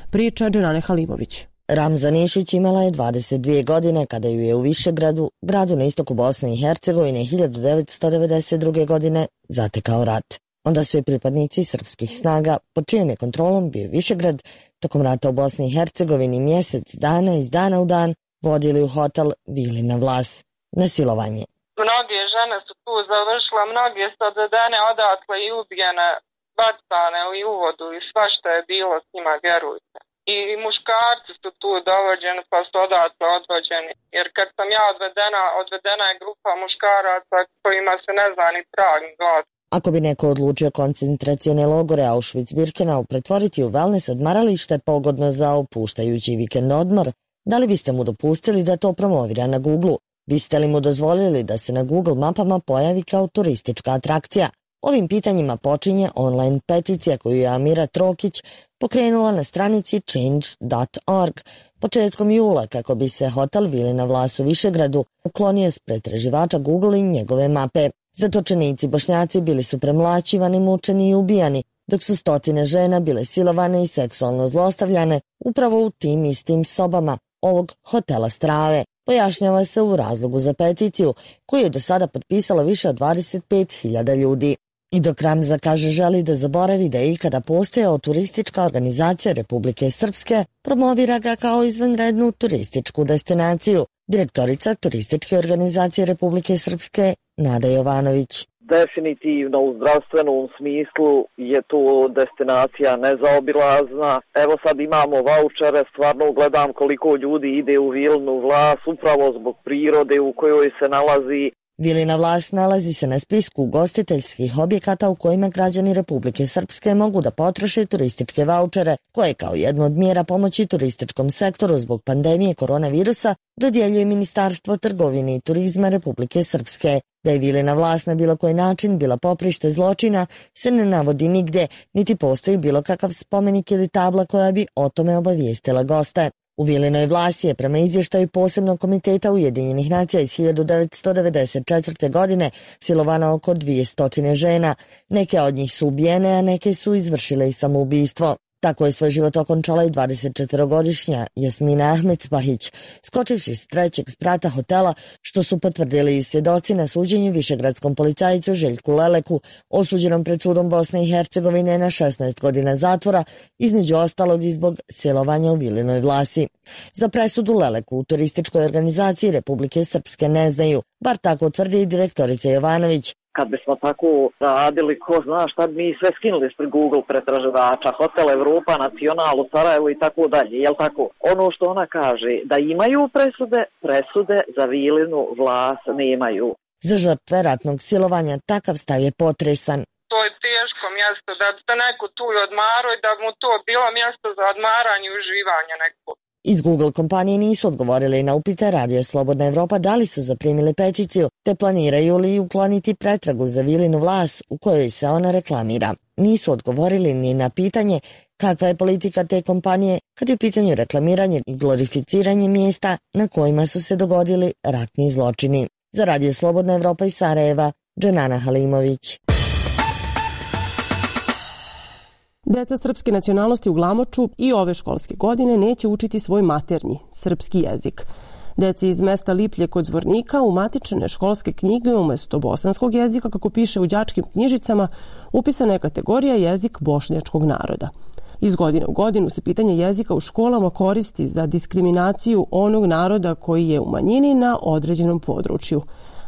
Priča Dženane Halimović. Ramza Nišić imala je 22 godine kada ju je u Višegradu, gradu na istoku Bosne i Hercegovine, 1992. godine zatekao rat. Onda su je pripadnici srpskih snaga, pod čijom je kontrolom bio Višegrad, tokom rata u Bosni i Hercegovini mjesec dana iz dana u dan vodili u hotel Vilina Vlas na silovanje. Mnoge žene su tu završile, mnoge su odvedene odatle i ubijene, bacane i u vodu i svašta je bilo s njima, vjerujte. I muškarci su tu dovođeni pa su odatle odvođeni. Jer kad sam ja odvedena je grupa muškaraca kojima se ne zna ni trag ni glad. Ako bi neko odlučio koncentracione logore Auschwitz-Birkenau pretvoriti u wellness odmaralište pogodno za opuštajući vikend odmor, da li biste mu dopustili da to promovira na Google? Biste li mu dozvolili da se na Google mapama pojavi kao turistička atrakcija? Ovim pitanjima počinje online peticija koju je Amira Trokić pokrenula na stranici change.org početkom jula kako bi se hotel Vilina Vlas u Višegradu uklonio s pretraživača Google i njegove mape. Zatočenici Bošnjaci bili su premlaćivani, mučeni i ubijani, dok su stotine žena bile silovane i seksualno zlostavljane upravo u tim istim sobama ovog hotela Strave. Pojašnjava se u razlogu za peticiju koju je do sada potpisalo više od 25.000 ljudi. I dok Ramza kaže želi da zaboravi da je ikada postojao turistička organizacija Republike Srpske, promovira ga kao izvanrednu turističku destinaciju. Direktorica turističke organizacije Republike Srpske Nada Jovanović. Definitivno u zdravstvenom smislu je to destinacija nezaobilazna. Evo sad imamo vaučere, stvarno gledam koliko ljudi ide u Vilinu Vlas upravo zbog prirode u kojoj se nalazi. Vilina Vlas nalazi se na spisku ugostiteljskih objekata u kojima građani Republike Srpske mogu da potroše turističke vaučere, koje kao jednu od mjera pomoći turističkom sektoru zbog pandemije koronavirusa dodjeljuje Ministarstvo trgovine i turizma Republike Srpske. Da je Vilina Vlas na bilo koji način bila poprište zločina se ne navodi nigde, niti postoji bilo kakav spomenik ili tabla koja bi o tome obavijestila goste. U Vilinoj Vlasi je prema izvještaju Posebnog komiteta Ujedinjenih nacija iz 1994. godine silovano oko 200 žena. Neke od njih su ubijene, a neke su izvršile i samoubistvo. Tako je svoj život okončala i 24-godišnja Jasmina Ahmedspahić, skočivši s trećeg sprata hotela, što su potvrdili i svjedoci na suđenju višegradskom policajcu Željku Leleku, osuđenom pred sudom Bosne i Hercegovine na 16 godina zatvora, između ostalog i zbog silovanja u Vilinoj Vlasi. Za presudu Leleku u turističkoj organizaciji Republike Srpske ne znaju, bar tako tvrdi i direktorica Jovanović. Kad bismo tako radili, ko zna šta bi mi sve skinuli ispred Google pretraživača, Hotel Evropa, Nacional u Sarajevu i tako dalje, jel tako? Ono što ona kaže, da imaju presude za Vilinu vlast nemaju. Za žrtve ratnog silovanja takav stav je potresan. To je teško mjesto, da bi se neko tu odmarao i da mu to bilo mjesto za odmaranje i uživanje neko. Iz Google kompanije nisu odgovorili na upite Radija Slobodna Evropa da li su zaprimili peticiju, te planiraju li ukloniti pretragu za Vilinu vlast u kojoj se ona reklamira. Nisu odgovorili ni na pitanje kakva je politika te kompanije kad je u pitanju reklamiranje i glorificiranje mjesta na kojima su se dogodili ratni zločini. Za Radio Slobodna Evropa iz Sarajeva, Dženana Halimović. Deca srpske nacionalnosti u Glamoču i ove školske godine neće učiti svoj maternji, srpski jezik. Deci iz mesta Liplje kod Zvornika u matične školske knjige umjesto bosanskog jezika, kako piše u đačkim knjižicama, upisana je kategorija jezik bošnjačkog naroda. Iz godine u godinu se pitanje jezika u školama koristi za diskriminaciju onog naroda koji je u manjini na određenom području.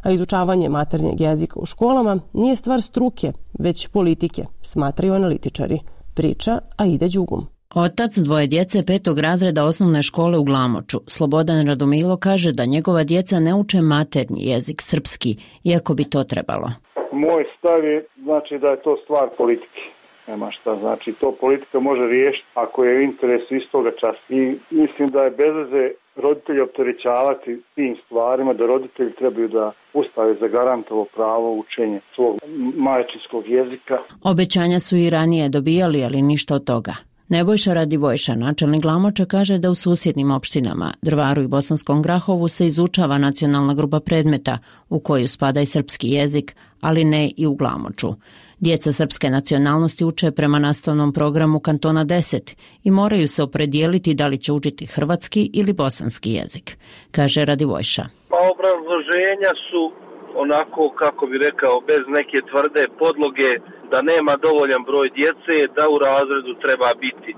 A izučavanje maternjeg jezika u školama nije stvar struke, već politike, smatraju analitičari. Priča Aida Đugum. Otac dvoje djece 5. razreda osnovne škole u Glamoču, Slobodan Radomilo, kaže da njegova djeca ne uče maternji jezik srpski, iako bi to trebalo. Moj stav je da je to stvar politike. Nema šta, to politika može riješiti ako je u interesu istoga časa. I mislim da je bez veze roditelji opterećavati tim stvarima, da roditelji trebaju da ustave zagarantovo pravo učenja svog majčinskog jezika. Obećanja su i ranije dobijali, ali ništa od toga. Nebojša Radivojša, načelnik Glamoča, kaže da u susjednim opštinama, Drvaru i Bosanskom Grahovu, se izučava nacionalna grupa predmeta u koju spada i srpski jezik, ali ne i u Glamoču. Djeca srpske nacionalnosti uče prema nastavnom programu Kantona 10 i moraju se opredijeliti da li će učiti hrvatski ili bosanski jezik, kaže Radivojša. Obrazloženja su onako, kako bi rekao, bez neke tvrde podloge, da nema dovoljan broj djece, da u razredu treba biti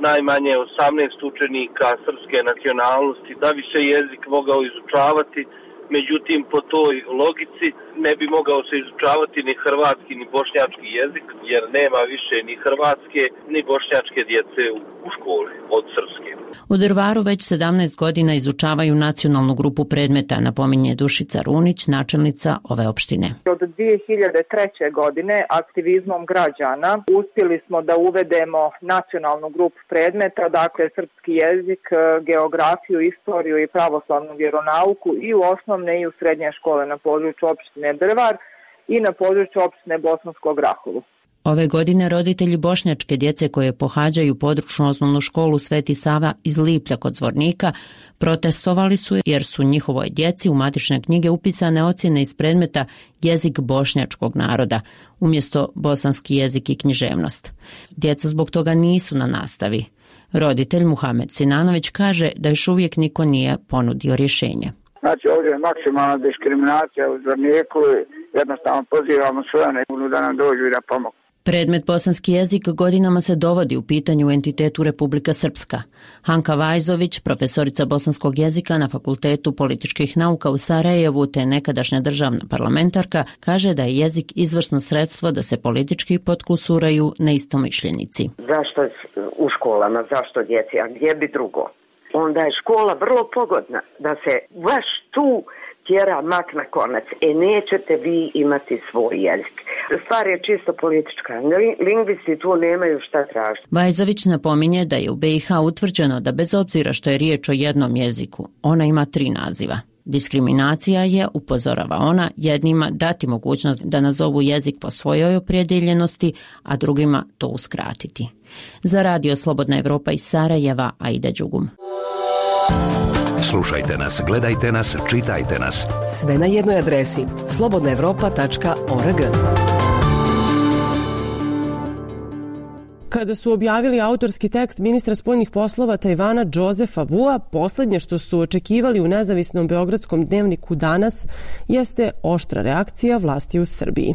najmanje 18 učenika srpske nacionalnosti, da bi se jezik mogao izučavati. Međutim, po toj logici ne bi mogao se izučavati ni hrvatski ni bošnjački jezik, jer nema više ni hrvatske ni bošnjačke djece u školi od srpske. U Drvaru već 17 godina izučavaju nacionalnu grupu predmeta, napominje Dušica Runić, načelnica ove opštine. Od 2003. godine aktivizmom građana uspjeli smo da uvedemo nacionalnu grupu predmeta, dakle srpski jezik, geografiju, istoriju i pravoslavnu vjeronauku i u osnovne i u srednje škole na području opštine Drvar i na području opštine Bosansko Grahovo. Ove godine roditelji bošnjačke djece koje pohađaju područnu osnovnu školu Sveti Sava iz Liplja kod Zvornika protestovali su jer su njihovoj djeci u matične knjige upisane ocjene iz predmeta jezik bošnjačkog naroda umjesto bosanski jezik i književnost. Djeca zbog toga nisu na nastavi. Roditelj Muhamed Sinanović kaže da još uvijek niko nije ponudio rješenje. Ovdje je maksimalna diskriminacija u Zvorniku i jednostavno pozivamo sve one da nam dođu i da pomogu. Predmet bosanski jezik godinama se dovodi u pitanju u entitetu Republika Srpska. Hanka Vajzović, profesorica bosanskog jezika na Fakultetu političkih nauka u Sarajevu te nekadašnja državna parlamentarka, kaže da je jezik izvrsno sredstvo da se politički potkusuraju neistomišljenici. Zašto u školama, zašto djeci, a gdje bi drugo? Onda je škola vrlo pogodna da se baš tu tjera mak na konac. Nećete vi imati svoj jezik. Stvar je čisto politička. Lingvisti tu nemaju šta tražiti. Vajzović napominje da je u BiH utvrđeno da bez obzira što je riječ o jednom jeziku, ona ima 3 naziva. Diskriminacija je, upozorava ona, jednima dati mogućnost da nazovu jezik po svojoj opredjeljenosti, a drugima to uskratiti. Za Radio Slobodna Evropa iz Sarajeva, Aida Đugum. Slušajte nas, gledajte nas, čitajte nas. Sve na jednoj adresi slobodnaevropa.org. Kada su objavili autorski tekst ministra spoljnih poslova Tajvana Džozefa Vua, posljednje što su očekivali u nezavisnom beogradskom dnevniku Danas jeste oštra reakcija vlasti u Srbiji.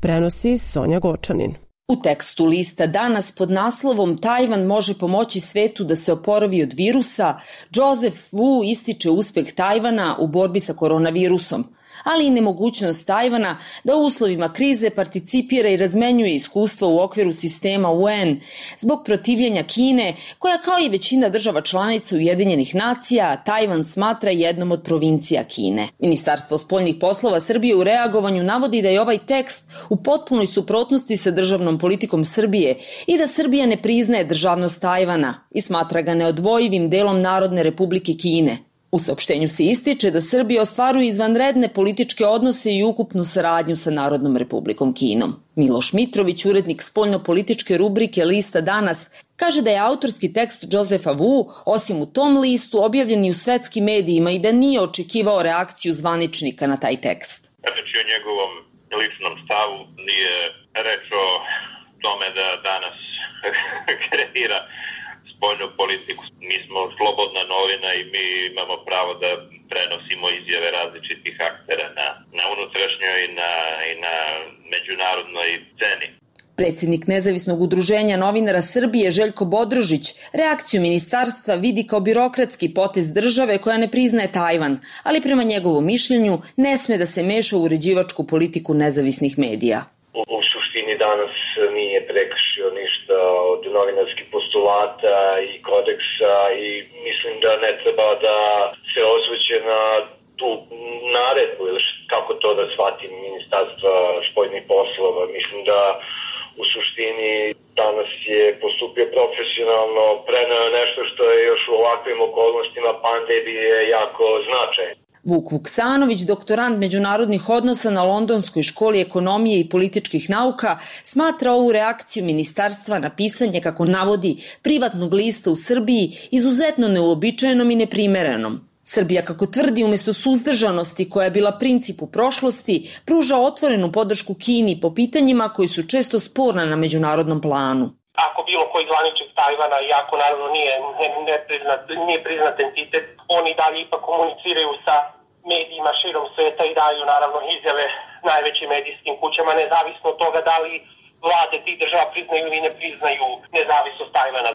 Prenosi Sonja Gočanin. U tekstu lista Danas pod naslovom Tajvan može pomoći svetu da se oporavi od virusa, Džozef Vu ističe uspeh Tajvana u borbi sa koronavirusom, ali i nemogućnost Tajvana da u uslovima krize participira i razmenjuje iskustva u okviru sistema UN zbog protivljenja Kine, koja kao i većina država članica Ujedinjenih nacija Tajvan smatra jednom od provincija Kine. Ministarstvo spoljnih poslova Srbije u reagovanju navodi da je ovaj tekst u potpunoj suprotnosti sa državnom politikom Srbije i da Srbija ne priznaje državnost Tajvana i smatra ga neodvojivim delom Narodne Republike Kine. U saopštenju se ističe da Srbija ostvaruje izvanredne političke odnose i ukupnu saradnju sa Narodnom Republikom Kinom. Miloš Mitrović, urednik spoljno-političke rubrike lista Danas, kaže da je autorski tekst Josefa Wu, osim u tom listu, objavljen i u svetskim medijima i da nije očekivao reakciju zvaničnika na taj tekst. Reč je o njegovom ličnom stavu, nije reč o tome da danas kreira spoljnu politiku. Mi smo slobodna novina i mi imamo pravo da prenosimo izjave različitih aktera na unutrašnjoj i na međunarodnoj sceni. Predsjednik Nezavisnog udruženja novinara Srbije Željko Bodrožić reakciju ministarstva vidi kao birokratski potez države koja ne priznaje Tajvan, ali prema njegovom mišljenju ne sme da se meša u uređivačku politiku nezavisnih medija. U suštini danas nije prekršio ništa od novinarskih postulata i kodeksa i mislim da ne treba da se osvrće na tu naredbu ili kako to da shvatim Ministarstva spoljnih poslova. Mislim da u suštini danas je postupio profesionalno, preneo nešto što je još u ovakvim okolnostima pandemije jako značajno. Vuk Vuksanović, doktorant međunarodnih odnosa na Londonskoj školi ekonomije i političkih nauka, smatra ovu reakciju ministarstva na pisanje, kako navodi, privatnog lista u Srbiji izuzetno neuobičajenom i neprimerenom. Srbija, kako tvrdi, umjesto suzdržanosti koja je bila princip u prošlosti, pruža otvorenu podršku Kini po pitanjima koji su često sporna na međunarodnom planu. Ako bilo koji zvaničnik Tajvana, iako naravno nije priznat entitet, oni dalje ipak komuniciraju sa medijima širom sveta i daju naravno izjave najvećim medijskim kućama, nezavisno od toga da li vlade tih država priznaju ili ne priznaju nezavisnost Tajvana.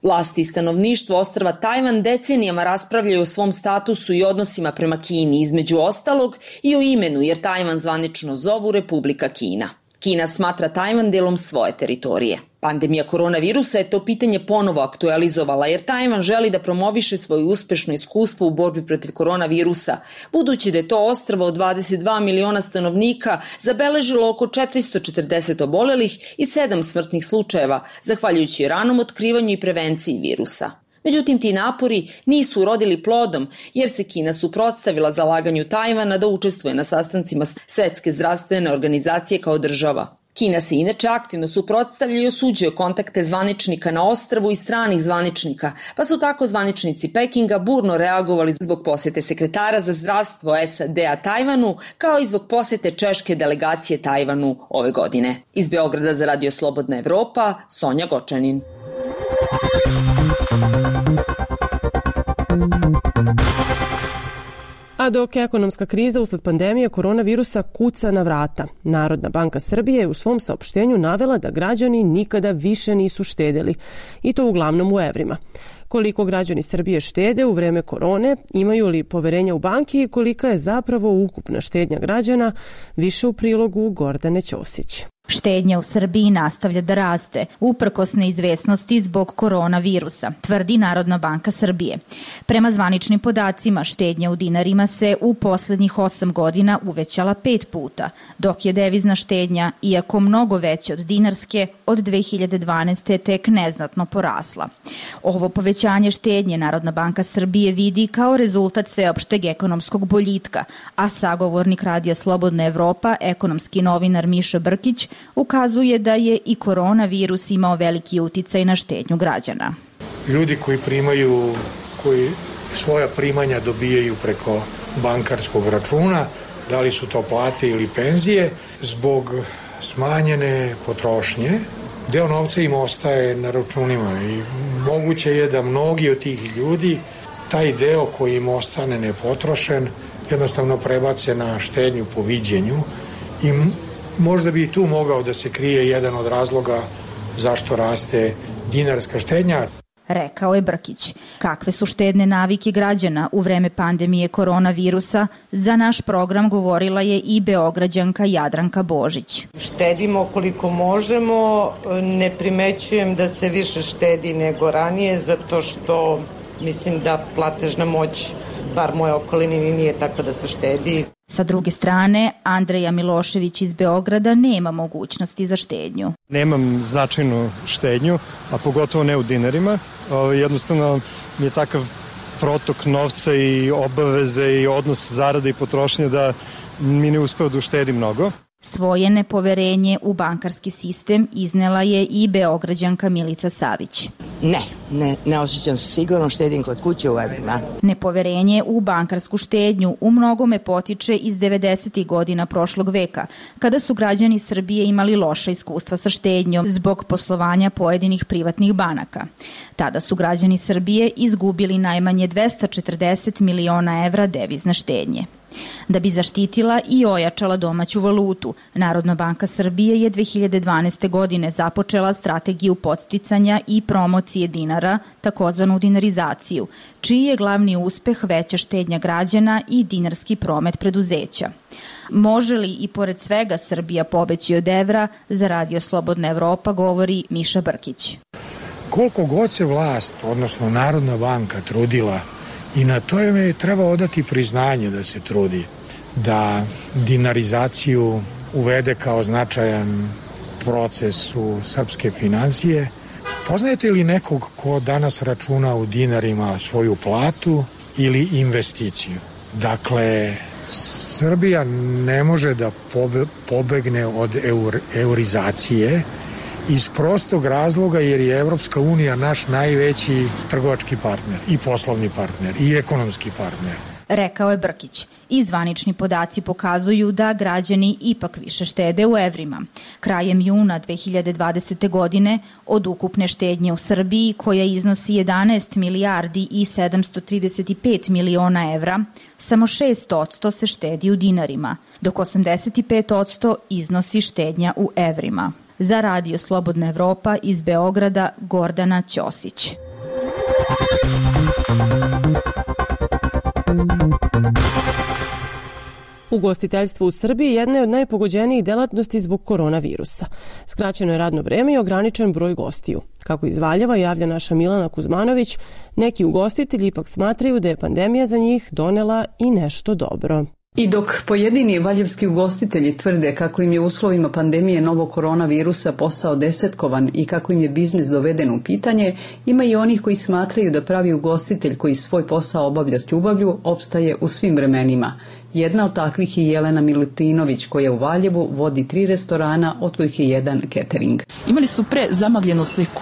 Vlasti i stanovništvo ostrva Tajvan decenijama raspravljaju o svom statusu i odnosima prema Kini, između ostalog i o imenu, jer Tajvan zvanično zovu Republika Kina. Kina smatra Tajvan delom svoje teritorije. Pandemija koronavirusa je to pitanje ponovo aktualizovala, jer Tajvan želi da promoviše svoje uspešno iskustvo u borbi protiv koronavirusa, budući da je to ostrvo od 22 miliona stanovnika zabeležilo oko 440 obolelih i 7 smrtnih slučajeva, zahvaljujući ranom otkrivanju i prevenciji virusa. Međutim, ti napori nisu urodili plodom, jer se Kina suprotstavila zalaganju Tajvana da učestvuje na sastancima Svetske zdravstvene organizacije kao država. Kina se inače aktivno suprotstavlja i osuđuje kontakte zvaničnika na ostrvu i stranih zvaničnika, pa su tako zvaničnici Pekinga burno reagovali zbog posete sekretara za zdravstvo SAD-a Tajvanu, kao i zbog posete češke delegacije Tajvanu ove godine. Iz Beograda za Radio Slobodna Evropa, Sonja Gočanin. A dok ekonomska kriza usled pandemije koronavirusa kuca na vrata, Narodna banka Srbije je u svom saopštenju navela da građani nikada više nisu štedeli, i to uglavnom u evrima. Koliko građani Srbije štede u vreme korone, imaju li poverenja u banki i kolika je zapravo ukupna štednja građana, više u prilogu Gordane Ćosić. Štednja u Srbiji nastavlja da raste, uprkos neizvesnosti zbog koronavirusa, tvrdi Narodna banka Srbije. Prema zvaničnim podacima, štednja u dinarima se u poslednjih 8 godina uvećala 5 puta, dok je devizna štednja, iako mnogo veća od dinarske, od 2012. tek neznatno porasla. Ovo povećanje štednje Narodna banka Srbije vidi kao rezultat sveopšteg ekonomskog boljitka, a sagovornik Radija Slobodna Evropa, ekonomski novinar Miša Brkić, ukazuje da je i koronavirus imao veliki uticaj na štednju građana. Ljudi koji svoja primanja dobijaju preko bankarskog računa, da li su to plate ili penzije, zbog smanjene potrošnje, deo novca im ostaje na računima i moguće je da mnogi od tih ljudi taj deo koji im ostane nepotrošen jednostavno prebace na štednju po viđenju i možda bi i tu mogao da se krije jedan od razloga zašto raste dinarska štednja. rekao je Brkić. Kakve su štedne navike građana u vreme pandemije koronavirusa, za naš program govorila je i Beograđanka Jadranka Božić. Štedimo koliko možemo, ne primećujem da se više štedi nego ranije, zato što mislim da platežna moć, bar moje okoline, nije tako da se štedi. Sa druge strane, Andreja Milošević iz Beograda nema mogućnosti za štednju. Nemam značajnu štednju, a pogotovo ne u dinarima. Jednostavno mi je takav protok novca i obaveze i odnos zarade i potrošnje da mi ne uspeva da uštedi mnogo. Svoje nepoverenje u bankarski sistem iznela je i Beograđanka Milica Savić. Ne osjećam se sigurno, štedim kod kuće u evrima. Nepoverenje u bankarsku štednju u mnogome potiče iz 90. godina prošlog veka, kada su građani Srbije imali loša iskustva sa štednjom zbog poslovanja pojedinih privatnih banaka. Tada su građani Srbije izgubili najmanje 240 miliona evra devizne štednje. Da bi zaštitila i ojačala domaću valutu, Narodna banka Srbije je 2012. godine započela strategiju podsticanja i promocije dinara, takozvanu dinarizaciju, čiji je glavni uspeh veća štednja građana i dinarski promet preduzeća. Može li i pored svega Srbija pobeći od evra, za Radio Slobodna Evropa govori Miša Brkić. Koliko god se vlast, odnosno Narodna banka, trudila, i na to je treba odati priznanje da se trudi, da dinarizaciju uvede kao značajan proces u srpske financije. Poznajete li nekog ko danas računa u dinarima svoju platu ili investiciju? Dakle, Srbija ne može da pobegne od eurizacije iz prostog razloga jer je Evropska unija naš najveći trgovački partner i poslovni partner i ekonomski partner. Rekao je Brkić. I zvanični podaci pokazuju da građani ipak više štede u evrima. Krajem juna 2020. godine od ukupne štednje u Srbiji, koja iznosi 11 milijardi i 735 miliona evra, samo 6% se štedi u dinarima, dok 85% iznosi štednja u evrima. Za Radio Slobodna Evropa iz Beograda, Gordana Ćosić. Ugostiteljstvo u Srbiji jedna je od najpogođenijih delatnosti zbog koronavirusa. Skraćeno je radno vreme i ograničen broj gostiju. Kako iz Valjeva javlja naša Milana Kuzmanović, neki ugostitelji ipak smatraju da je pandemija za njih donela i nešto dobro. I dok pojedini valjevski ugostitelji tvrde kako im je u uslovima pandemije novog koronavirusa posao desetkovan i kako im je biznis doveden u pitanje, ima i onih koji smatraju da pravi ugostitelj koji svoj posao obavlja s ljubavlju opstaje u svim vremenima. Jedna od takvih je Jelena Milutinović, koja u Valjevu vodi 3 restorana, od kojih je jedan catering. Imali su zamagljenu sliku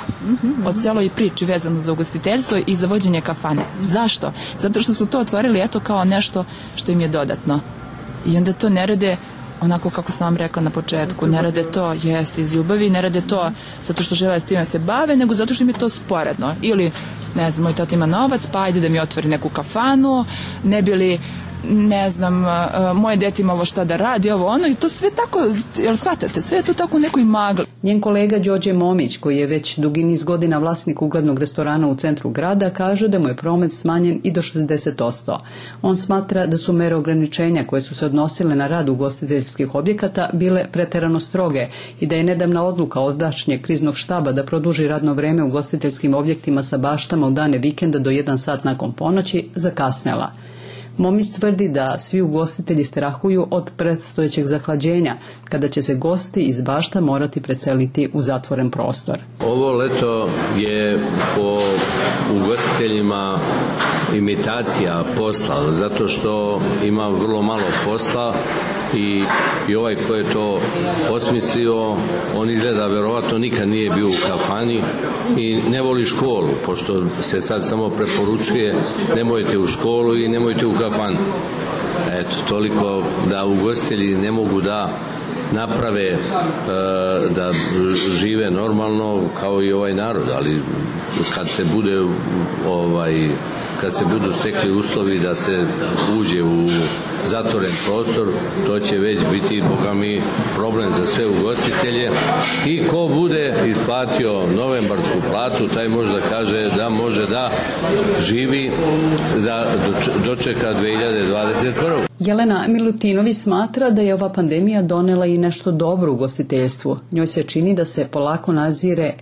o celoj priči vezano za ugostiteljstvo i za vođenje kafane. Zašto? Zato što su to otvorili kao nešto što im je dodatno. I onda to ne rade onako kako sam vam rekla na početku, ne rade to iz ljubavi, ne rade to zato što žele s time se bave, nego zato što im je to sporedno. Ili, ne znam, moj tata ima novac, pa ajde da mi otvori neku kafanu, ne bi li, ne znam, moje dete imalo šta da radi, ovo ono, i to sve tako, jel shvatate, sve je to tako u nekoj magli. Njen kolega Đorđe Momić, koji je već dugi niz godina vlasnik uglednog restorana u centru grada, kaže da mu je promet smanjen i do 60%. On smatra da su mere ograničenja koje su se odnosile na rad ugostiteljskih objekata bile preterano stroge i da je nedavna odluka ovdašnjeg kriznog štaba da produži radno vreme u ugostiteljskim objektima sa baštama u dane vikenda do 1 sat nakon ponoći zakasnela. Momis tvrdi da svi ugostitelji strahuju od predstojećeg zahlađenja, kada će se gosti iz bašta morati preseliti u zatvoren prostor. Ovo leto je po ugostiteljima imitacija posla, zato što ima vrlo malo posla i ovaj ko je to osmislio, on izgleda verovatno nikad nije bio u kafani i ne voli školu, pošto se sad samo preporučuje nemojte u školu i nemojte u kafanu. Eto, toliko da ugostitelji ne mogu da naprave da žive normalno kao i ovaj narod, ali kad se budu stekli uslovi da se uđe u zatvoren prostor, to će već biti, boga mi, problem za sve ugostitelje i ko bude isplatio novembarsku platu, taj može da kaže da može da živi, da dočeka 2021. Jelena Milutinović smatra da je ova pandemija donela i nešto dobro u ugostiteljstvu. Njoj se čini da se polako nazire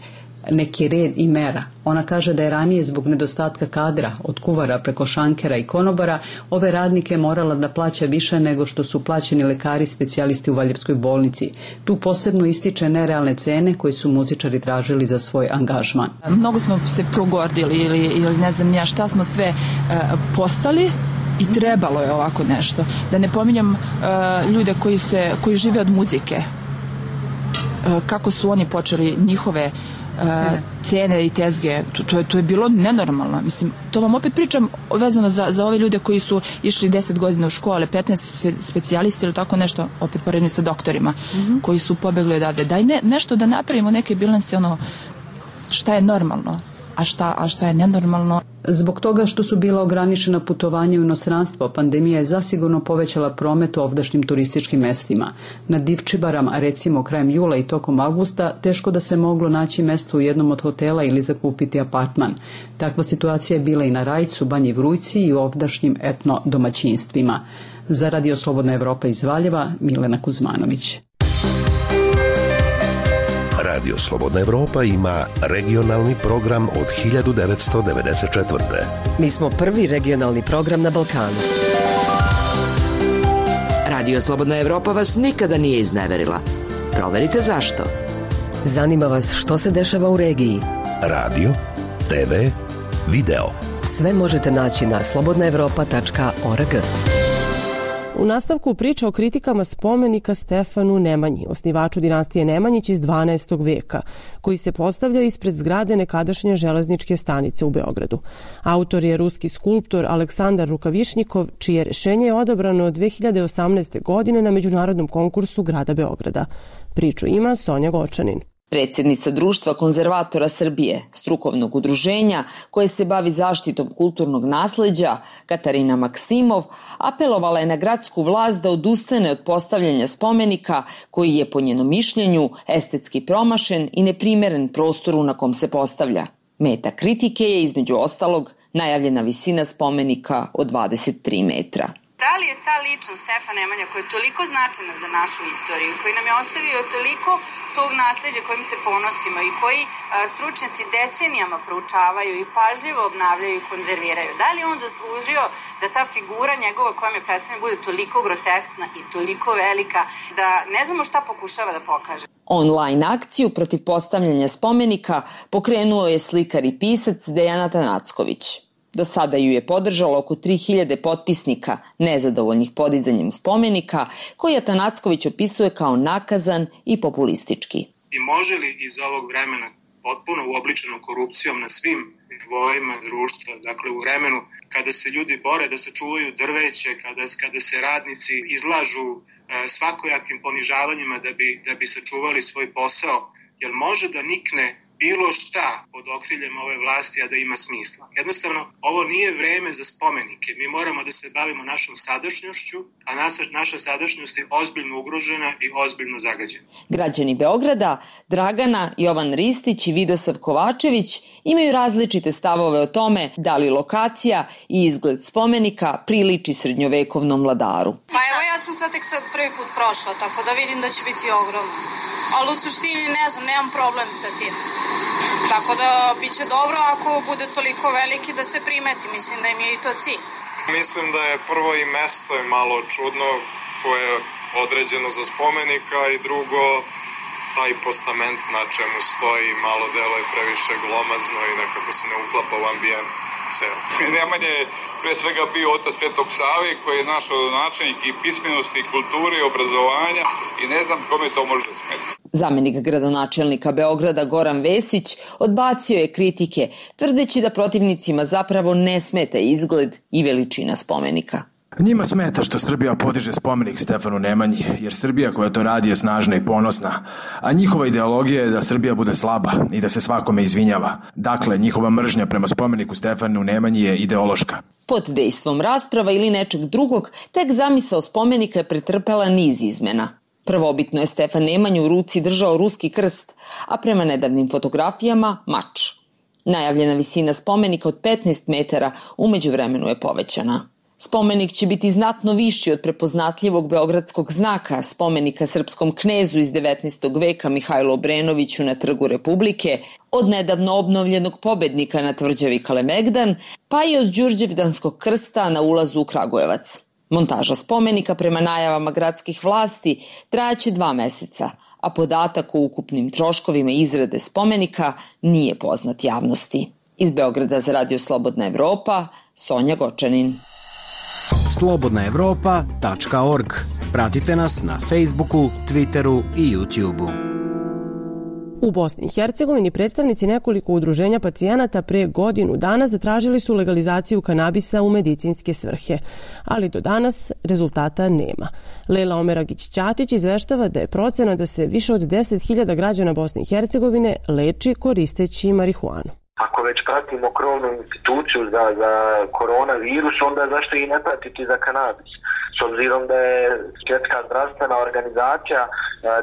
neki red i mera. Ona kaže da je ranije zbog nedostatka kadra, od kuvara preko šankera i konobara, ove radnike morala da plaća više nego što su plaćeni lekari specijalisti u Valjevskoj bolnici. Tu posebno ističe nerealne cene koje su muzičari tražili za svoj angažman. Mnogo smo se progordili ili ne znam ja šta smo sve postali i trebalo je ovako nešto. Da ne pominjam ljude koji žive od muzike. Kako su oni počeli njihove cene i tezge, to je bilo nenormalno. Mislim, to vam opet pričam vezano za ove ljude koji su išli 10 godina u škole, 15 specijalisti ili tako nešto, opet poredni sa doktorima, koji su pobegli odavde. Daj nešto da napravimo neke bilanse, šta je normalno, a šta je nenormalno. Zbog toga što su bila ograničena putovanja u inostranstvo, pandemija je zasigurno povećala promet u ovdašnjim turističkim mestima. Na Divčibarama, recimo krajem jula i tokom avgusta, teško da se moglo naći mesto u jednom od hotela ili zakupiti apartman. Takva situacija je bila i na Rajcu, Banji Vrujci i u ovdašnjim etno domaćinstvima. Za Radio Slobodna Evropa iz Valjeva, Milena Kuzmanović. Radio Slobodna Evropa ima regionalni program od 1994. Mi smo prvi regionalni program na Balkanu. Radio Slobodna Evropa vas nikada nije izneverila. Proverite zašto. Zanima vas što se dešava u regiji. Radio, TV, video. Sve možete naći na slobodnaevropa.org. U nastavku priča o kritikama spomenika Stefanu Nemanji, osnivaču dinastije Nemanjić iz 12. veka, koji se postavlja ispred zgrade nekadašnje železničke stanice u Beogradu. Autor je ruski skulptor Aleksandar Rukavišnjikov, čije rešenje je odabrano 2018. godine na međunarodnom konkursu grada Beograda. Priču ima Sonja Gočanin. Predsjednica Društva konzervatora Srbije, strukovnog udruženja koje se bavi zaštitom kulturnog nasleđa, Katarina Maksimov, apelovala je na gradsku vlast da odustane od postavljanja spomenika koji je po njenom mišljenju estetski promašen i neprimeren prostoru na kom se postavlja. Meta kritike je između ostalog najavljena visina spomenika od 23 metra. Da li je ta ličnost Stefan Nemanja koja je toliko značajna za našu istoriju, koji nam je ostavio toliko tog nasleđa kojim se ponosimo i koji stručnjaci decenijama proučavaju i pažljivo obnavljaju i konzerviraju, da li on zaslužio da ta figura njegova koja me predstavlja bude toliko groteskna i toliko velika da ne znamo šta pokušava da pokaže? Online akciju protiv postavljanja spomenika pokrenuo je slikar i pisac Dejan Atanacković. Do sada ju je podržalo oko 3000 potpisnika nezadovoljnih podizanjem spomenika, koji Atanacković opisuje kao nakazan i populistički. I može li iz ovog vremena potpuno uobličeno korupcijom na svim nivoima društva, dakle u vremenu kada se ljudi bore da sačuvaju drveće, kada se radnici izlažu svakojakim ponižavanjima da bi sačuvali svoj posao, jer može da nikne bilo šta pod okriljem ove vlasti, a da ima smisla. Jednostavno, ovo nije vreme za spomenike. Mi moramo da se bavimo našom sadašnjošću, a naša sadašnjost je ozbiljno ugrožena i ozbiljno zagađena. Građani Beograda, Dragana, Jovan Ristić i Vidosav Kovačević imaju različite stavove o tome da li lokacija i izgled spomenika priliči srednjovekovnom vladaru. Pa evo, ja sam sad tek prvi put prošla, tako da vidim da će biti ogromno. Ali u suštini ne znam, nemam problem sa tim. Tako da bit će dobro ako bude toliko veliki da se primeti. Mislim da im je i to cilj. Mislim da je prvo i mesto je malo čudno koje je određeno za spomenika i drugo taj postament na čemu stoji malo delo je previše glomazno i nekako se ne uklapa u ambijent ceo. Nemanja je pre svega bio otac Svetog Save koji je naš rodonačelnik i pismenosti, i kulture, i obrazovanja i ne znam kome to može da smeti. Zamenik gradonačelnika Beograda Goran Vesić odbacio je kritike, tvrdeći da protivnicima zapravo ne smeta izgled i veličina spomenika. Njima smeta što Srbija podiže spomenik Stefanu Nemanji, jer Srbija koja to radi je snažna i ponosna, a njihova ideologija je da Srbija bude slaba i da se svakome izvinjava. Dakle, njihova mržnja prema spomeniku Stefanu Nemanji je ideološka. Pod dejstvom rasprava ili nečeg drugog, tek zamisao spomenika je pretrpela niz izmena. Prvobitno je Stefan Nemanju u ruci držao ruski krst, a prema nedavnim fotografijama mač. Najavljena visina spomenika od 15 metara u međuvremenu je povećana. Spomenik će biti znatno viši od prepoznatljivog beogradskog znaka, spomenika srpskom knezu iz 19. veka Mihajlu Obrenoviću na Trgu Republike, od nedavno obnovljenog pobednika na tvrđavi Kalemegdan, pa i od Đurđevdanskog krsta na ulazu u Kragujevac. Montaža spomenika prema najavama gradskih vlasti trajaće 2 meseca, a podatak o ukupnim troškovima izrade spomenika nije poznat javnosti. Iz Beograda za Radio Slobodna Evropa, Sonja Gočanin. slobodnaevropa.org. Pratite nas na Facebooku, Twitteru i YouTubeu. U Bosni i Hercegovini predstavnici nekoliko udruženja pacijenata pre godinu dana zatražili su legalizaciju kanabisa u medicinske svrhe, ali do danas rezultata nema. Lejla Omeragić-Ćatić izveštava da je procena da se više od 10.000 građana Bosne i Hercegovine leči koristeći marihuanu. Ako već pratimo krovnu instituciju za koronavirus, onda zašto i ne pratiti za kanabis? S obzirom da je Svjetska zdravstvena organizacija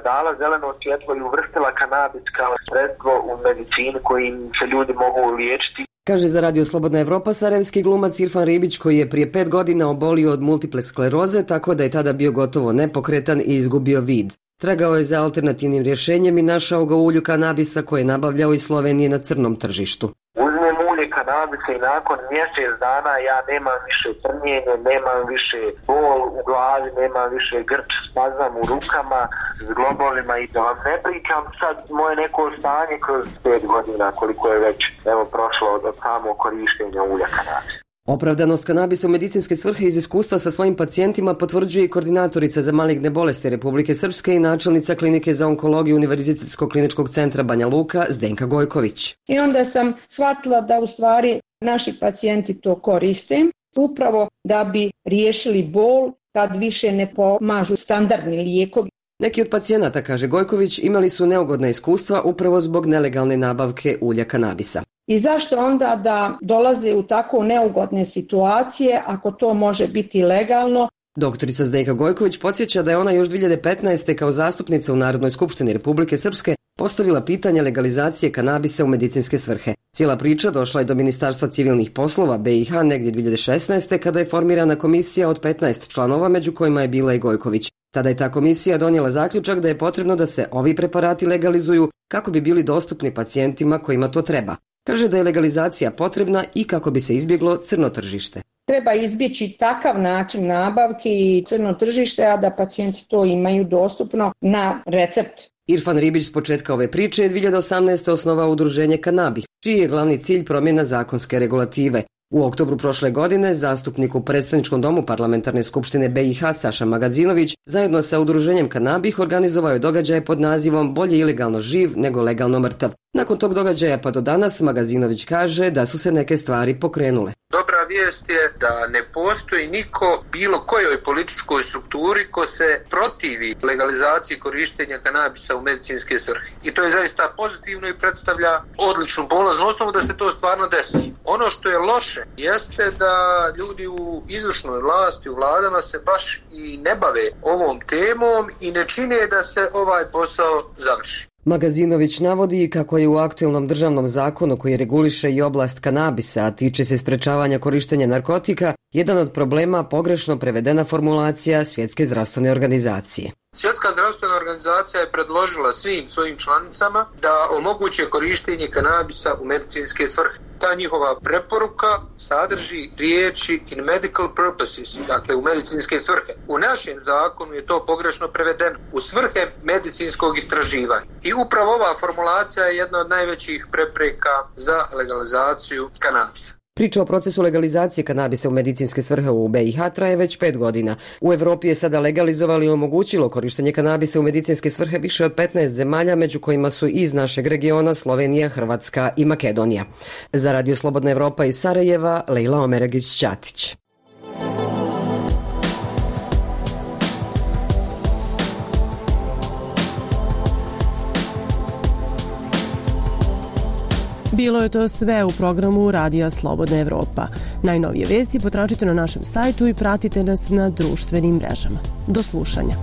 dala zeleno svjetlo i uvrstila kanabis kao sredstvo u medicinu kojim se ljudi mogu liječiti. Kaže za Radio Slobodna Evropa sarajevski glumac Irfan Ribić, koji je prije 5 godina obolio od multiple skleroze, tako da je tada bio gotovo nepokretan i izgubio vid. Tragao je za alternativnim rješenjem i našao ga u ulju kanabisa koje je nabavljao iz Slovenije na crnom tržištu. Uzmem ulje kanabisa i nakon mjesec dana ja nemam više trnjenje, nemam više bol u glavi, nemam više grč, spazam u rukama, zglobovima i da vam ne pričam sad moje neko stanje kroz 5 godina koliko je već prošlo od samo korištenja ulja kanabisa. Opravdanost kanabisa u medicinske svrhe iz iskustva sa svojim pacijentima potvrđuje i koordinatorica za maligne bolesti Republike Srpske i načelnica klinike za onkologiju Univerzitetskog kliničkog centra Banja Luka Zdenka Gojković. I onda sam shvatila da u stvari naši pacijenti to koriste upravo da bi riješili bol kad više ne pomažu standardni lijekovi. Neki od pacijenata, kaže Gojković, imali su neugodna iskustva upravo zbog nelegalne nabavke ulja kanabisa. I zašto onda da dolaze u tako neugodne situacije ako to može biti legalno? Doktorica Zdenka Gojković podsjeća da je ona još 2015. kao zastupnica u Narodnoj skupštini Republike Srpske postavila pitanje legalizacije kanabisa u medicinske svrhe. Cijela priča došla je do Ministarstva civilnih poslova BiH negdje 2016. kada je formirana komisija od 15 članova, među kojima je bila i Gojković. Tada je ta komisija donijela zaključak da je potrebno da se ovi preparati legalizuju kako bi bili dostupni pacijentima kojima to treba. Kaže da je legalizacija potrebna i kako bi se izbjeglo crno tržište. Treba izbjeći takav način nabavke i crno tržište, a da pacijenti to imaju dostupno na recept. Irfan Ribić s početka ove priče je 2018. osnovao udruženje Kanabi, čiji je glavni cilj promjena zakonske regulative. U oktobru prošle godine zastupnik u predstavničkom domu Parlamentarne skupštine BiH Saša Magazinović zajedno sa udruženjem Kanabih organizovao je događaj pod nazivom Bolje ilegalno živ nego legalno mrtav. Nakon tog događaja pa do danas Magazinović kaže da su se neke stvari pokrenule. Dobra vijest je da ne postoji niko bilo kojoj političkoj strukturi ko se protivi legalizaciji korištenja kanabisa u medicinske svrhe. I to je zaista pozitivno i predstavlja odličnu polaznu osnovu da se to stvarno desi. Ono što je loše jeste da ljudi u izvršnoj vlasti, u vladama se baš i ne bave ovom temom i ne čine da se ovaj posao završi. Magazinović navodi kako je u aktuelnom državnom zakonu koji reguliše i oblast kanabisa, a tiče se sprečavanja korištenja narkotika, jedan od problema pogrešno prevedena formulacija Svjetske zdravstvene organizacije. Svjetska zdravstvena organizacija je predložila svim svojim članicama da omoguće korištenje kanabisa u medicinske svrhe. Ta njihova preporuka sadrži riječi in medical purposes, dakle u medicinske svrhe. U našem zakonu je to pogrešno prevedeno u svrhe medicinskog istraživanja. I upravo ova formulacija je jedna od najvećih prepreka za legalizaciju kanabisa. Priča o procesu legalizacije kanabisa u medicinske svrhe u BiH traje već 5 godina. U Evropi je sada legalizovalo i omogućilo korištenje kanabisa u medicinske svrhe više od 15 zemalja, među kojima su iz našeg regiona Slovenija, Hrvatska i Makedonija. Za Radio Slobodna Evropa iz Sarajeva, Lejla Omeragić-Ćatić. Bilo je to sve u programu Radija Slobodna Evropa. Najnovije vesti potražite na našem sajtu i pratite nas na društvenim mrežama. Do slušanja.